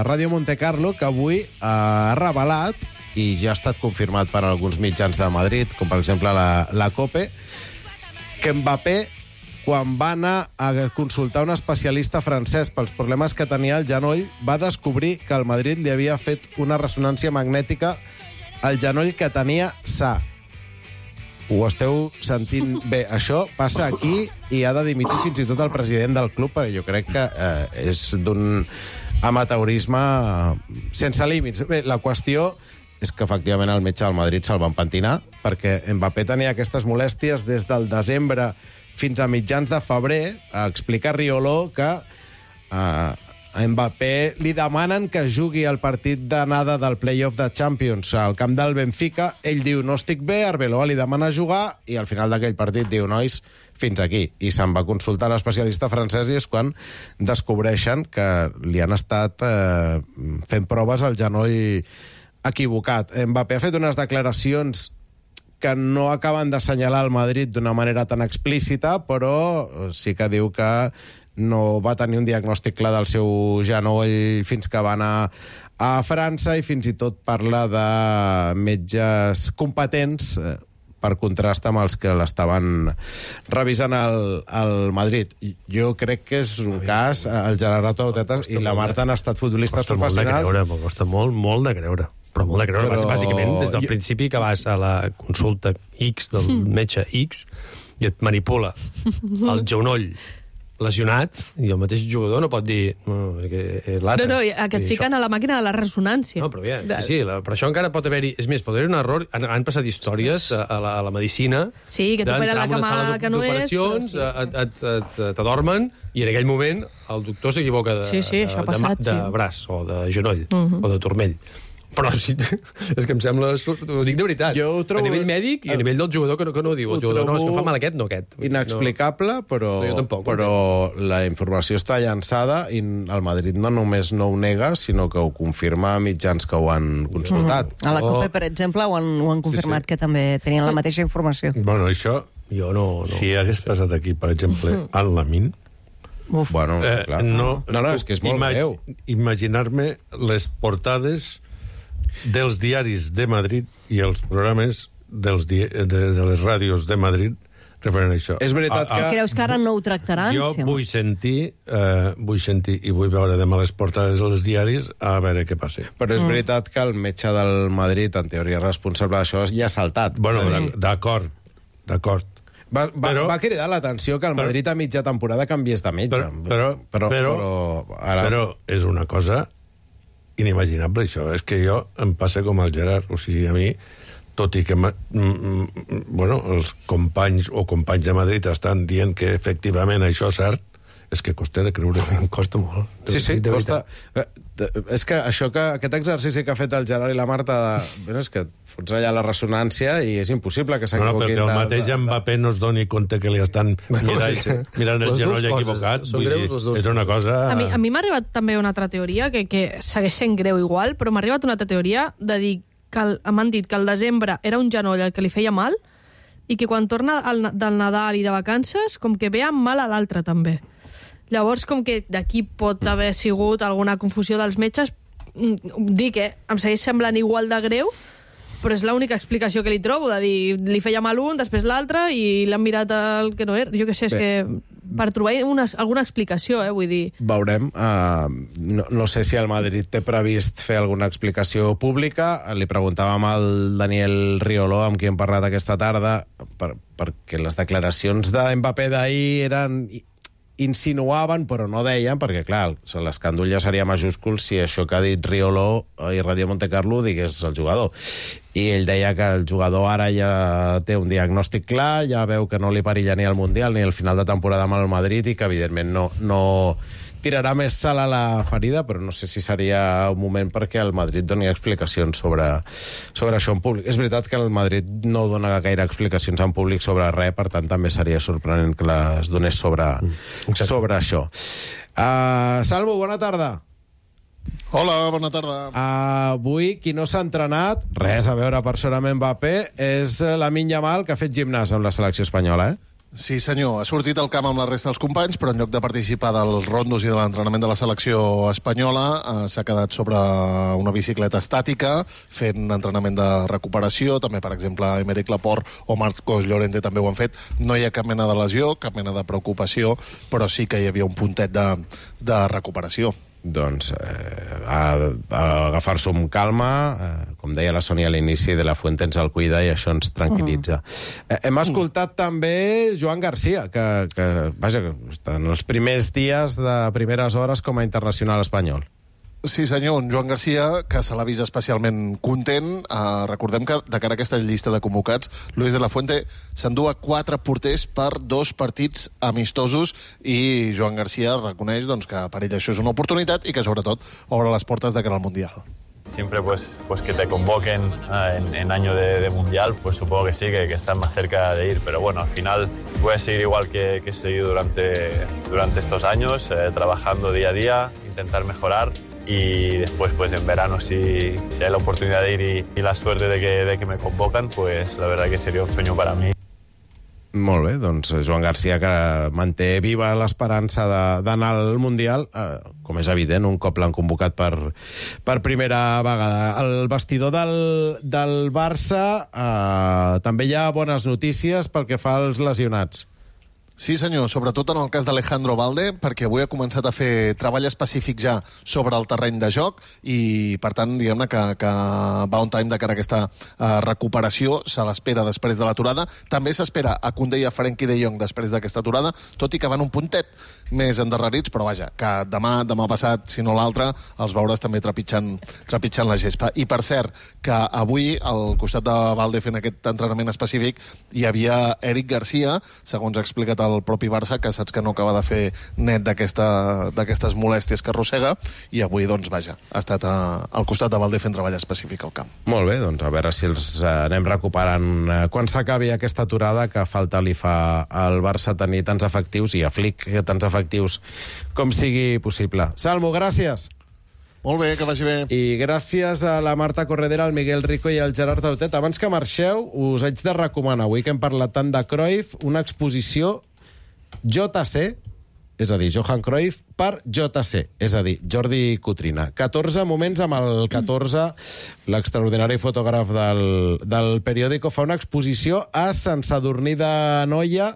Ràdio Monte Carlo, que avui ha revelat, i ja ha estat confirmat per alguns mitjans de Madrid, com per exemple la, la COPE, que Mbappé, quan va anar a consultar un especialista francès pels problemes que tenia al genoll, va descobrir que el Madrid li havia fet una ressonància magnètica al genoll que tenia sa. Ho esteu sentint bé. Això passa aquí i ha de dimitir fins i tot el president del club, perquè jo crec que eh, és d'un amateurisme sense límits. Bé, la qüestió és que efectivament el metge del Madrid se'l van pentinar, perquè Mbappé tenia aquestes molèsties des del desembre fins a mitjans de febrer. Explica Rioló que eh, a Mbappé li demanen que jugui el partit d'anada del play-off de Champions al camp del Benfica. Ell diu, no estic bé, Arbeloa li demana jugar, i al final d'aquell partit diu, nois, fins aquí. I se'n va consultar l'especialista francès i és quan descobreixen que li han estat eh, fent proves al genoll equivocat. Mbappé ha fet unes declaracions que no acaben d'assenyalar el Madrid d'una manera tan explícita, però sí que diu que no va tenir un diagnòstic clar del seu genoll fins que va anar a França, i fins i tot parla de metges competents per contrast amb els que l'estaven revisant al, al Madrid. Jo crec que és un cas, el Gerard Tautetas i la Marta han estat futbolistes professionals. Costa molt de creure, costa molt, molt de creure. Però molt de creure, però... bàsicament, des del jo... principi que vas a la consulta X del metge X i et manipula el genoll lesionat, i el mateix jugador no pot dir no, que l'altre. No, no, que et fiquen això a la màquina de la ressonància. No, però ja, sí, sí, la, però això encara pot haver-hi... És més, pot haver-hi un error. Han, han passat històries a, a, la, a la medicina... Sí, que t'operen la cama que no és... d'operacions, sí. t'adormen, i en aquell moment el doctor s'equivoca de, sí, sí, de, passat, de, de sí. braç o de genoll, uh -huh. o de turmell. Però sí, és que em sembla... Ho dic de veritat. Jo ho trobo... A nivell mèdic i a nivell del jugador que no, que no ho diu. El jugador, no, és que fa mal aquest, no aquest. Inexplicable, però, no, tampoc, però la informació està llançada i el Madrid no només no ho nega, sinó que ho confirma a mitjans que ho han consultat. Mm. A la COPE, per exemple, ho han, ho han confirmat, sí, sí. que també tenien la mateixa informació. Bueno, això... Jo no... no. Si hagués passat aquí, per exemple, al Lamin... Uf. Bueno, eh, clar. No, no, no, és que és molt imag greu. Imaginar-me les portades dels diaris de Madrid i els programes dels di de, de les ràdios de Madrid referent a això. És veritat a, a, que... Creus que ara no ho tractaran? Jo sí, vull sentir, eh, vull sentir i vull veure demà les portades dels diaris a veure què passa. Però és mm. veritat que el metge del Madrid, en teoria responsable d'això, ja ha saltat. Bueno, d'acord, d'acord. Va, va, però, va cridar l'atenció que el Madrid a mitja temporada canviés de metge. Però, però, però, però, però, ara... però és una cosa inimaginable, això. És que jo em passa com al Gerard. O sigui, a mi tot i que bueno, els companys o companys de Madrid estan dient que efectivament això és cert, és que costa de creure. Em costa molt. Sí, sí, costa. És que això que aquest exercici que ha fet el Gerard i la Marta, bueno, és que fots allà la ressonància i és impossible que s'equivoquin. No, no, perquè el mateix de, de... Mbappé no es doni compte que li estan mirant, sí, sí. mirant el genoll equivocat. Vull dir, és una cosa... A mi, a mi m'ha arribat també una altra teoria, que, que segueix sent greu igual, però m'ha arribat una altra teoria de dir que m'han dit que el desembre era un genoll el que li feia mal i que quan torna el, del Nadal i de vacances com que ve amb mal a l'altre també. Llavors, com que d'aquí pot haver sigut alguna confusió dels metges, dic que em segueix semblant igual de greu, però és l'única explicació que li trobo, de dir, li feia mal un, després l'altre, i l'han mirat el que no era. Jo què sé, és Bé. que per trobar una, alguna explicació, eh, vull dir... Veurem. Uh, no, no sé si el Madrid té previst fer alguna explicació pública. Li preguntàvem al Daniel Riolo, amb qui hem parlat aquesta tarda, per, perquè les declaracions de Mbappé d'ahir eren... insinuaven, però no deien, perquè, clar, l'escàndol ja seria majúscul si això que ha dit Riolo i Radio Montecarlo digués el jugador. I ell deia que el jugador ara ja té un diagnòstic clar, ja veu que no li perilla ni el Mundial ni el final de temporada amb el Madrid i que, evidentment, no, no tirarà més sal a la ferida, però no sé si seria un moment perquè el Madrid doni explicacions sobre, sobre això en públic. És veritat que el Madrid no dona gaire explicacions en públic sobre res, per tant també seria sorprenent que les donés sobre, mm, sobre això. Uh, Salvo, bona tarda. Hola, bona tarda. Uh, avui, qui no s'ha entrenat, res a veure personalment Mbappé, és Lamine Yamal, que ha fet gimnàs amb la selecció espanyola, eh? Sí, senyor. Ha sortit al camp amb la resta dels companys, però en lloc de participar dels rondos i de l'entrenament de la selecció espanyola, eh, s'ha quedat sobre una bicicleta estàtica, fent entrenament de recuperació. També, per exemple, Aymeric Laporte o Marcos Llorente també ho han fet. No hi ha cap mena de lesió, cap mena de preocupació, però sí que hi havia un puntet de, de recuperació. Doncs eh, a, a agafar-s'ho amb calma, eh, com deia la Sònia a l'inici, de la Fuente ens el cuida i això ens tranquil·litza. Uh-huh. eh, hem escoltat uh-huh. també Joan Garcia, que, que, vaja, que està en els primers dies de primeres hores com a internacional espanyol. Sí, senyor, un Joan Garcia que se l'ha vist especialment content. Uh, recordem que, de cara a aquesta llista de convocats, Luis de la Fuente s'endua quatre porters per dos partits amistosos i Joan Garcia reconeix doncs, que per ell això és una oportunitat i que, sobretot, obre les portes de cara al Mundial. Siempre pues, pues que te convoquen uh, en, en año de, de Mundial, pues supongo que sí, que, que estás más cerca de ir, pero bueno, al final voy a seguir igual que, que he seguido durante, durante estos años, eh, trabajando día a día, intentar mejorar. Y después, pues en verano, si, si hay la oportunidad de ir y, y la suerte de que, de que me convocan, pues la verdad que sería un sueño para mí. Molt bé, doncs Joan Garcia, que manté viva l'esperança d'anar al Mundial, eh, com és evident, un cop l'han convocat per, per primera vegada. Al vestidor del, del Barça eh, també hi ha bones notícies pel que fa als lesionats. Sí, senyor, sobretot en el cas d'Alejandro Balde, perquè avui ha començat a fer treball específic ja sobre el terreny de joc i, per tant, diguem-ne que, que va on time de cara a aquesta uh, recuperació, se l'espera després de l'aturada. També s'espera a Koundé i a Frenkie de Jong després d'aquesta aturada, tot i que van un puntet més endarrerits, però vaja, que demà, demà passat, si no l'altre, els veuràs també trepitjant, trepitjant la gespa. I, per cert, que avui, al costat de Balde fent aquest entrenament específic, hi havia Eric Garcia, segons ha explicat el propi Barça, que saps que no acaba de fer net d'aquestes molèsties que arrossega, i avui, doncs, vaja, ha estat a, al costat de Balde fent treball específic al camp. Molt bé, doncs a veure si els anem recuperant quan s'acabi aquesta aturada, que falta li fa al Barça tenir tants efectius, i a Flick tants efectius com sigui possible. Salmo, gràcies! Molt bé, que vagi bé. I gràcies a la Marta Corredera, al Miguel Rico i al Gerard Tautet. Abans que marxeu, us haig de recomanar, avui que hem parlat tant de Cruyff, una exposició J C, és a dir, Johan Cruyff per J C, és a dir, Jordi Cutrina. catorze moments amb el catorze, l'extraordinari fotògraf del, del periòdico, fa una exposició a Sant Sadurní d'Anoia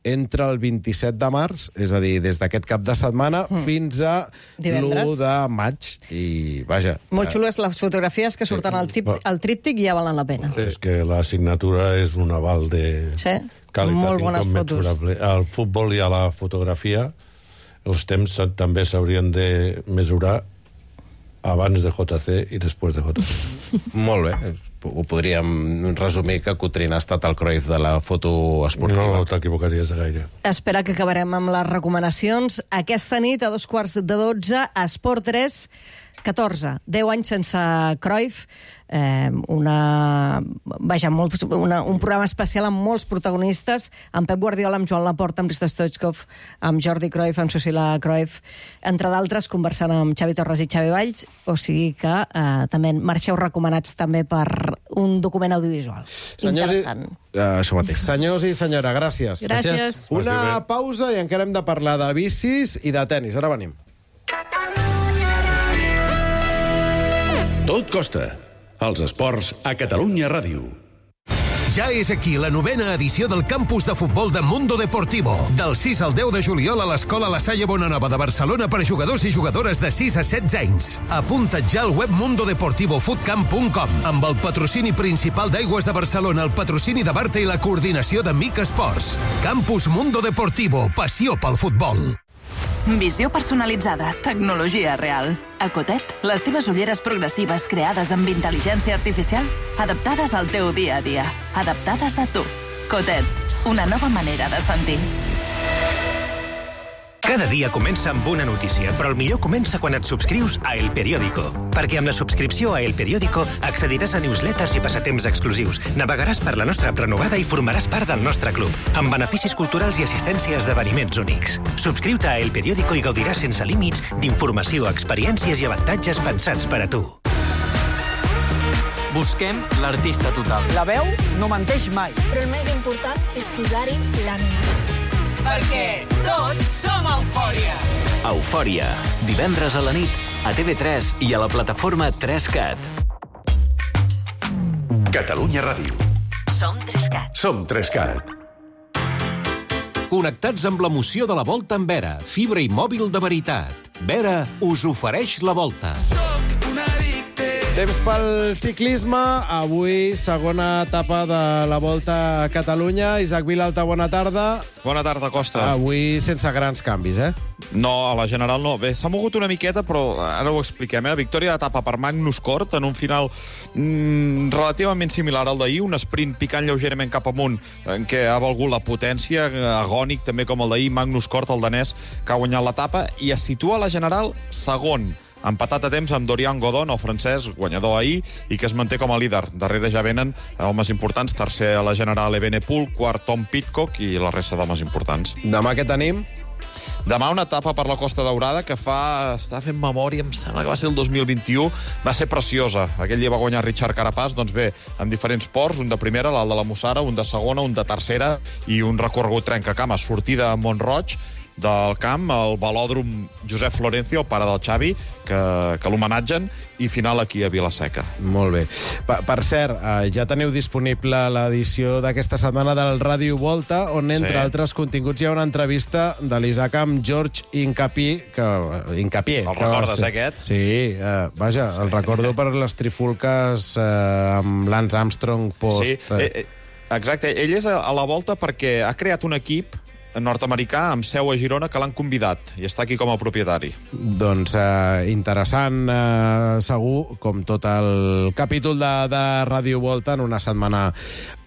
entre el vint-i-set de març, és a dir, des d'aquest cap de setmana, mm. fins a l'u de maig. I, vaja... Molt xules les fotografies que surten al, tip, al tríptic i ja valen la pena. Sí, és que la signatura és un aval de sí. qualitat incommensurable. Al futbol i a la fotografia els temps també s'haurien de mesurar abans de J C i després de J C. Molt bé. ho podríem resumir que Coutrin ha estat el Cruyff de la foto esportiva. No t'equivocaries de gaire. Espera que acabarem amb les recomanacions. Aquesta nit, a dos quarts de dotze, a Esport tres, catorze, deu anys sense Cruyff, eh, una, vaja, molt, una, un programa especial amb molts protagonistes, amb Pep Guardiola, amb Joan Laporta, amb Risto Stoichkov, amb Jordi Cruyff, amb Susila Cruyff, entre d'altres, conversant amb Xavi Torres i Xavi Valls, o sigui que eh, també marxeu recomanats també per un document audiovisual. Senyors interessant. I, uh, això mateix. Senyors i senyora, gràcies. Gràcies. Una pausa i encara hem de parlar de bicis i de tennis. Ara venim. Tot costa. Els esports a Catalunya Ràdio. Ja és aquí la novena edició del campus de futbol de Mundo Deportivo. Del sis al deu de juliol a l'Escola La Salle Bonanova de Barcelona per a jugadors i jugadores de sis a setze anys. Apunta't ja al web mundo deportivo footcamp punt com amb el patrocini principal d'Aigües de Barcelona, el patrocini de Barta i la coordinació de Mic Esports. Campus Mundo Deportivo, passió pel futbol. Visió personalitzada, tecnologia real. A Cotet, les teves ulleres progressives creades amb intel·ligència artificial, adaptades al teu dia a dia, adaptades a tu. Cotet, una nova manera de sentir. Cada dia comença amb una notícia, però el millor comença quan et subscrius a El Periódico. Perquè amb la subscripció a El Periódico accediràs a newsletters i passatemps exclusius, navegaràs per la nostra prenovada i formaràs part del nostre club, amb beneficis culturals i assistència a esdeveniments únics. Subscriu-te a El Periódico i gaudiràs sense límits d'informació, experiències i avantatges pensats per a tu. Busquem l'artista total. La veu no menteix mai. Però el més important és posar-hi l'ànima. Perquè tots som Eufòria. Eufòria. Divendres a la nit, a T V tres i a la plataforma tres cat. Catalunya Ràdio. Som tres cat. Som tres cat. Connectats amb l'emoció de la Volta amb Vera, fibra i mòbil de veritat. Vera us ofereix la Volta. Temps pel ciclisme. Avui, segona etapa de la Volta a Catalunya. Isaac Vilalta, bona tarda. Bona tarda, Costa. Avui sense grans canvis, eh? No, a la general no. Bé, s'ha mogut una miqueta, però ara ho expliquem. Eh? Victòria d'etapa per Magnus Cort en un final mm, relativament similar al d'ahir, un sprint picant lleugerament cap amunt, en què ha valgut la potència, agònic també com el d'ahir. Magnus Cort, el danès, que ha guanyat l'etapa, i es situa a la general segon, empatat a temps amb Dorian Godon, el francès, guanyador ahir, i que es manté com a líder. Darrere ja venen homes importants, tercer a la general Evenepoel, quart Tom Pidcock i la resta d'homes importants. Demà què tenim? Demà una etapa per la Costa Daurada que fa... està fent memòria, em sembla que va ser el dos mil vint-i-u, va ser preciosa. Aquell dia va guanyar Richard Carapaz, doncs bé, amb diferents ports, un de primera, l'alt de la Mussara, un de segona, un de tercera i un recorregut trencacames. Sortida a Mont-roig del camp, el velòdrom Josep Florencio, el pare del Xavi, que, que l'homenatgen, i final aquí a Vila-seca. Molt bé. Per, per cert, eh, ja teniu disponible l'edició d'aquesta setmana del Ràdio Volta, on, entre sí. altres continguts, hi ha una entrevista de l'Isaac amb George Hincapie, que... Hincapie. El recordes, eh, aquest? Sí, eh, vaja, sí. El recordo per les trifulques eh, amb Lance Armstrong post... Sí, eh, exacte. Ell és a la Volta perquè ha creat un equip nord-americà amb seu a Girona que l'han convidat i està aquí com a propietari. Doncs eh, interessant, eh, segur, com tot el capítol de, de Ràdio Volta en una setmana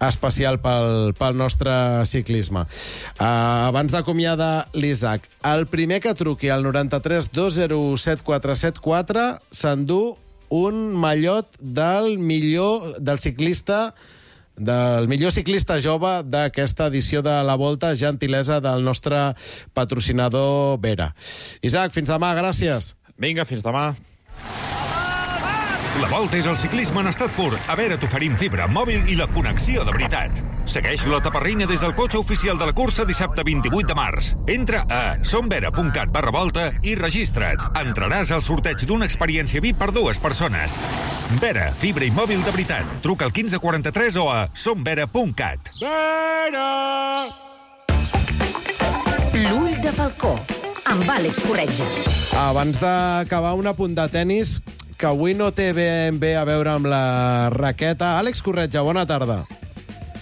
especial pel, pel nostre ciclisme. Eh, abans d'acomiadar l'Isaac, el primer que truqui al noranta-tres dos zero set quatre set quatre s'endú un mallot del millor, del ciclista del millor ciclista jove d'aquesta edició de la Volta, gentilesa del nostre patrocinador Vera. Isaac, fins demà, gràcies. Vinga, fins demà. La Volta és el ciclisme en estat pur. A Vera t'oferim fibra, mòbil i la connexió de veritat. Segueix la taparrina des del cotxe oficial de la cursa dissabte vint-i-vuit de març. Entra a somvera punt cat barra volta i registra't. Entraràs al sorteig d'una experiència V I P per dues persones. Vera, fibra i mòbil de veritat. Truca al quinze quaranta-tres o a somvera punt cat. Vera! L'ull de falcó, amb Àlex Corretja. Abans d'acabar, un apunt de tennis que avui no té ben bé a veure amb la raqueta. Àlex Corretja, bona tarda.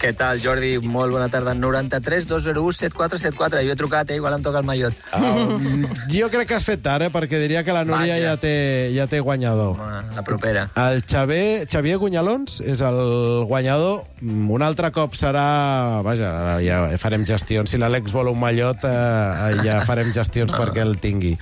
Què tal, Jordi? Molt bona tarda. noranta-tres dos zero u set quatre set quatre. Jo he trucat, eh? Igual em toca el mallot. Um, jo crec que has fet tard, eh? Perquè diria que la Núria ja té, ja té guanyador. La propera. El Xavier, Xavier Gunyalons és el guanyador. Un altre cop serà... Vaja, ja farem gestions. Si l'Àlex vol un mallot, eh, ja farem gestions no. perquè el tingui.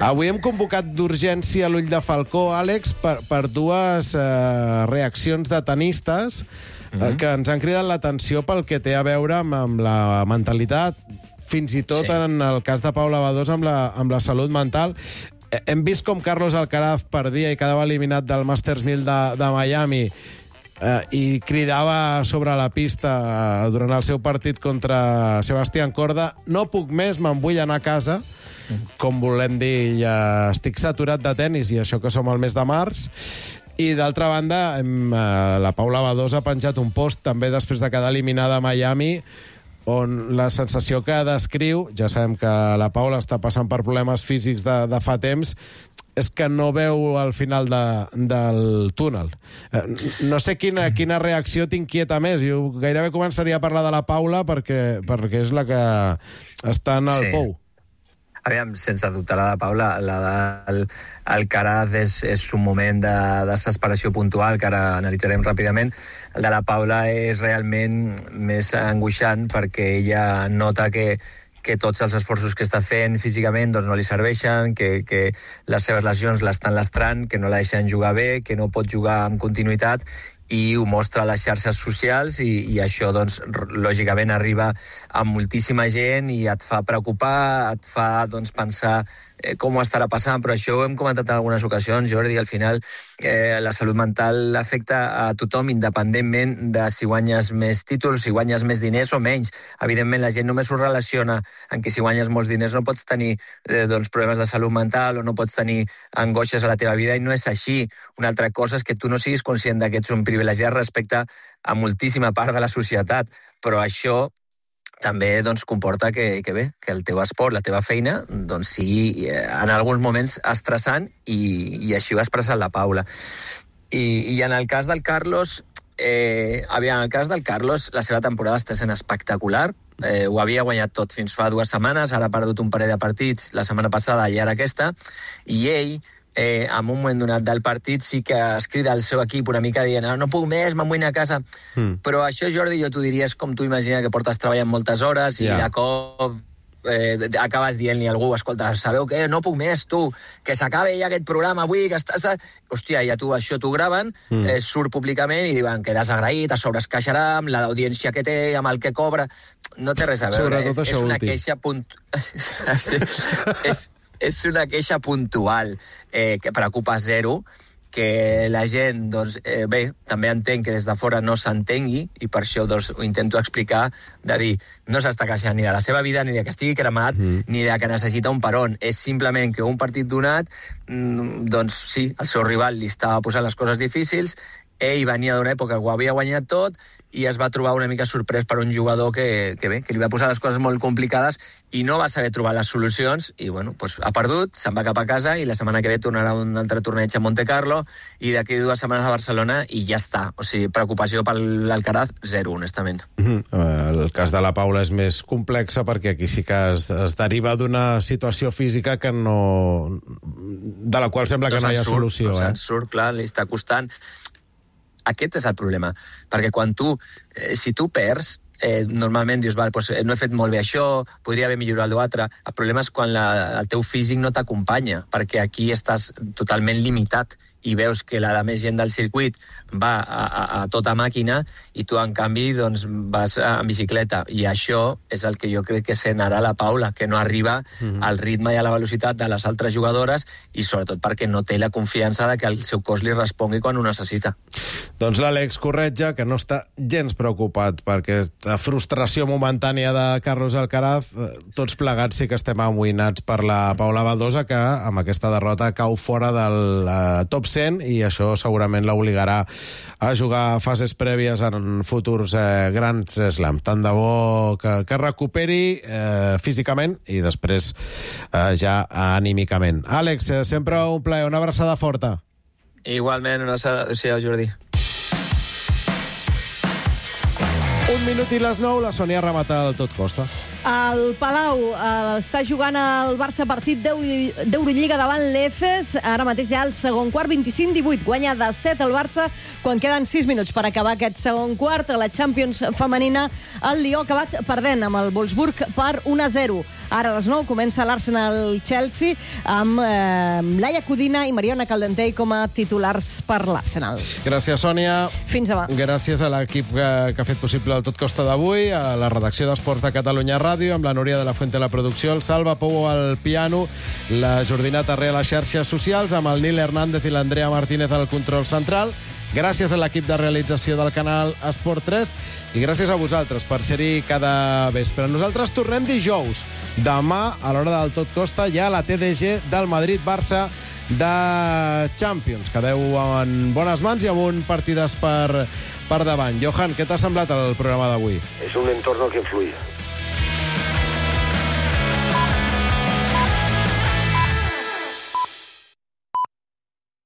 Avui hem convocat d'urgència l'Ull de Falcó, Àlex, per, per dues eh, reaccions de tenistes mm-hmm. que ens han cridat l'atenció pel que té a veure amb, amb la mentalitat, fins i tot sí. en el cas de Paula Badosa amb la, amb la salut mental. Hem vist com Carlos Alcaraz perdia i quedava eliminat del Masters mil de, de Miami eh, i cridava sobre la pista eh, durant el seu partit contra Sebastián Corda: no puc més, me'n vull anar a casa. Com volem dir, ja estic saturat de tennis, i això que som al mes de març. I d'altra banda, hem, eh, la Paula Badosa ha penjat un post també després de quedar eliminada a Miami, on la sensació que descriu, ja sabem que la Paula està passant per problemes físics de, de fa temps, és que no veu al final de, del túnel. Eh, no sé quina, quina reacció t'inquieta més. Jo gairebé començaria a parlar de la Paula perquè, perquè és la que està en el sí. pou. Aviam, sense dubte, la de Paula, la del Alcaraz és, és un moment de desesperació puntual, que ara analitzarem ràpidament. El de la Paula és realment més angoixant perquè ella nota que que tots els esforços que està fent físicament doncs, no li serveixen, que, que les seves lesions l'estan lastrant, que no la deixen jugar bé, que no pot jugar amb continuïtat, i ho mostra a les xarxes socials, i, i això, doncs, lògicament arriba a moltíssima gent i et fa preocupar, et fa doncs, pensar eh, com ho estarà passant, però això ho hem comentat en algunes ocasions, Jordi, al final eh, la salut mental afecta a tothom, independentment de si guanyes més títols, si guanyes més diners o menys. Evidentment, la gent només ho relaciona en que si guanyes molts diners no pots tenir eh, doncs, problemes de salut mental o no pots tenir angoixes a la teva vida, i no és així. Una altra cosa és que tu no siguis conscient que ets un privilegiat respecte a moltíssima part de la societat, però això també doncs, comporta que, que bé, que el teu esport, la teva feina, doncs sigui en alguns moments estressant, i, i així ho ha expressat la Paula. I, i en el cas del Carlos, eh, aviam, en el cas del Carlos, la seva temporada està sent espectacular. Eh, ho havia guanyat tot fins fa dues setmanes, ara ha perdut un parell de partits la setmana passada i ara aquesta, i ell Eh, en un moment donat del partit sí que es crida al seu equip una mica dient no, no puc més, me'n vull anar a casa. Mm. Però això, Jordi, jo t'ho diria, és com tu imagina que portes treballant moltes hores i yeah. de cop eh, acabes dient-li a algú: escolta, sabeu què? No puc més, tu, que s'acabe ja aquest programa avui, que estàs... Hòstia, ja tu, això t'ho graven, mm. eh, surt públicament i diuen que desagraït, a sobre es queixarà amb l'audiència que té, amb el que cobra... No té res a veure, és, és una queixa punt... és... és una queixa puntual eh, que preocupa zero, que la gent, doncs, eh, bé, també entenc que des de fora no s'entengui, i per això doncs, ho intento explicar, de dir, no s'està queixant ni de la seva vida, ni de que estigui cremat, mm. ni de que necessita un peron. És simplement que un partit donat, doncs sí, el seu rival li estava posant les coses difícils, ell venia d'una època que ho havia guanyat tot, i es va trobar una mica sorprès per un jugador que, que bé, que li va posar les coses molt complicades i no va saber trobar les solucions, i bueno, doncs ha perdut, se'n va cap a casa, i la setmana que ve tornarà un altre torneig a Monte Carlo, i d'aquí dues setmanes a Barcelona, i ja està. O sigui, preocupació per l'Alcaraz, zero, honestament. Mm-hmm. El cas de la Paula és més complexa perquè aquí sí que es, es deriva d'una situació física que no... de la qual sembla que no, no hi ha surt, solució. No eh? se'n surt, clar, li està costant. Aquest és el problema, perquè quan tu, eh, si tu perds, eh, normalment dius, val, doncs, no he fet molt bé això, podria haver millorat l'altre. El problema és quan la, el teu físic no t'acompanya, perquè aquí estàs totalment limitat i veus que la de més gent del circuit va a, a, a tota màquina i tu, en canvi, doncs, vas en bicicleta. I això és el que jo crec que sent ara la Paula, que no arriba mm-hmm. al ritme i a la velocitat de les altres jugadores, i sobretot perquè no té la confiança de que el seu cos li respongui quan ho necessita. Doncs l'Àlex corretja que no està gens preocupat per aquesta frustració momentània de Carlos Alcaraz. Tots plegats sí que estem amoïnats per la Paula Badosa, que amb aquesta derrota cau fora del uh, top cent, i això segurament l'obligarà a jugar fases prèvies en futurs eh, grans slams. Tant de bo que, que recuperi eh, físicament i després eh, ja anímicament. Àlex, eh, sempre un plaer, una abraçada forta. Igualment, una abraçada. Adéu-siau, Jordi. Un minut i les nou, la Sònia remata el tot costa. El Palau eh, està jugant el Barça partit d'Eurolliga davant l'Efes. Ara mateix ja el segon quart, vint-i-cinc divuit. Guanya de set el Barça quan queden sis minuts per acabar aquest segon quart. A la Champions femenina, el Lió ha acabat perdent amb el Wolfsburg per un a zero. Ara a les nou comença l'Arsenal-Chelsea amb eh, Laia Codina i Mariona Caldentey com a titulars per l'Arsenal. Gràcies, Sònia. Fins demà. Gràcies a l'equip que, que ha fet possible el Tot Costa d'avui, a la redacció d'Esports de Catalunya Ràdio, amb la Núria de la Fuente a la producció, el Salva Pou al piano, la Jordina Tarré a les xarxes socials, amb el Nil Hernández i l'Andrea Martínez al control central. Gràcies a l'equip de realització del canal Esport tres i gràcies a vosaltres per ser-hi cada vespre. Nosaltres tornem dijous. Demà, a l'hora del Tot Costa, hi ha la T D G del Madrid-Barça de Champions. Quedeu en bones mans i amb un partidàs per, per davant. Johan, què t'ha semblat el programa d'avui? És un entorn que influye.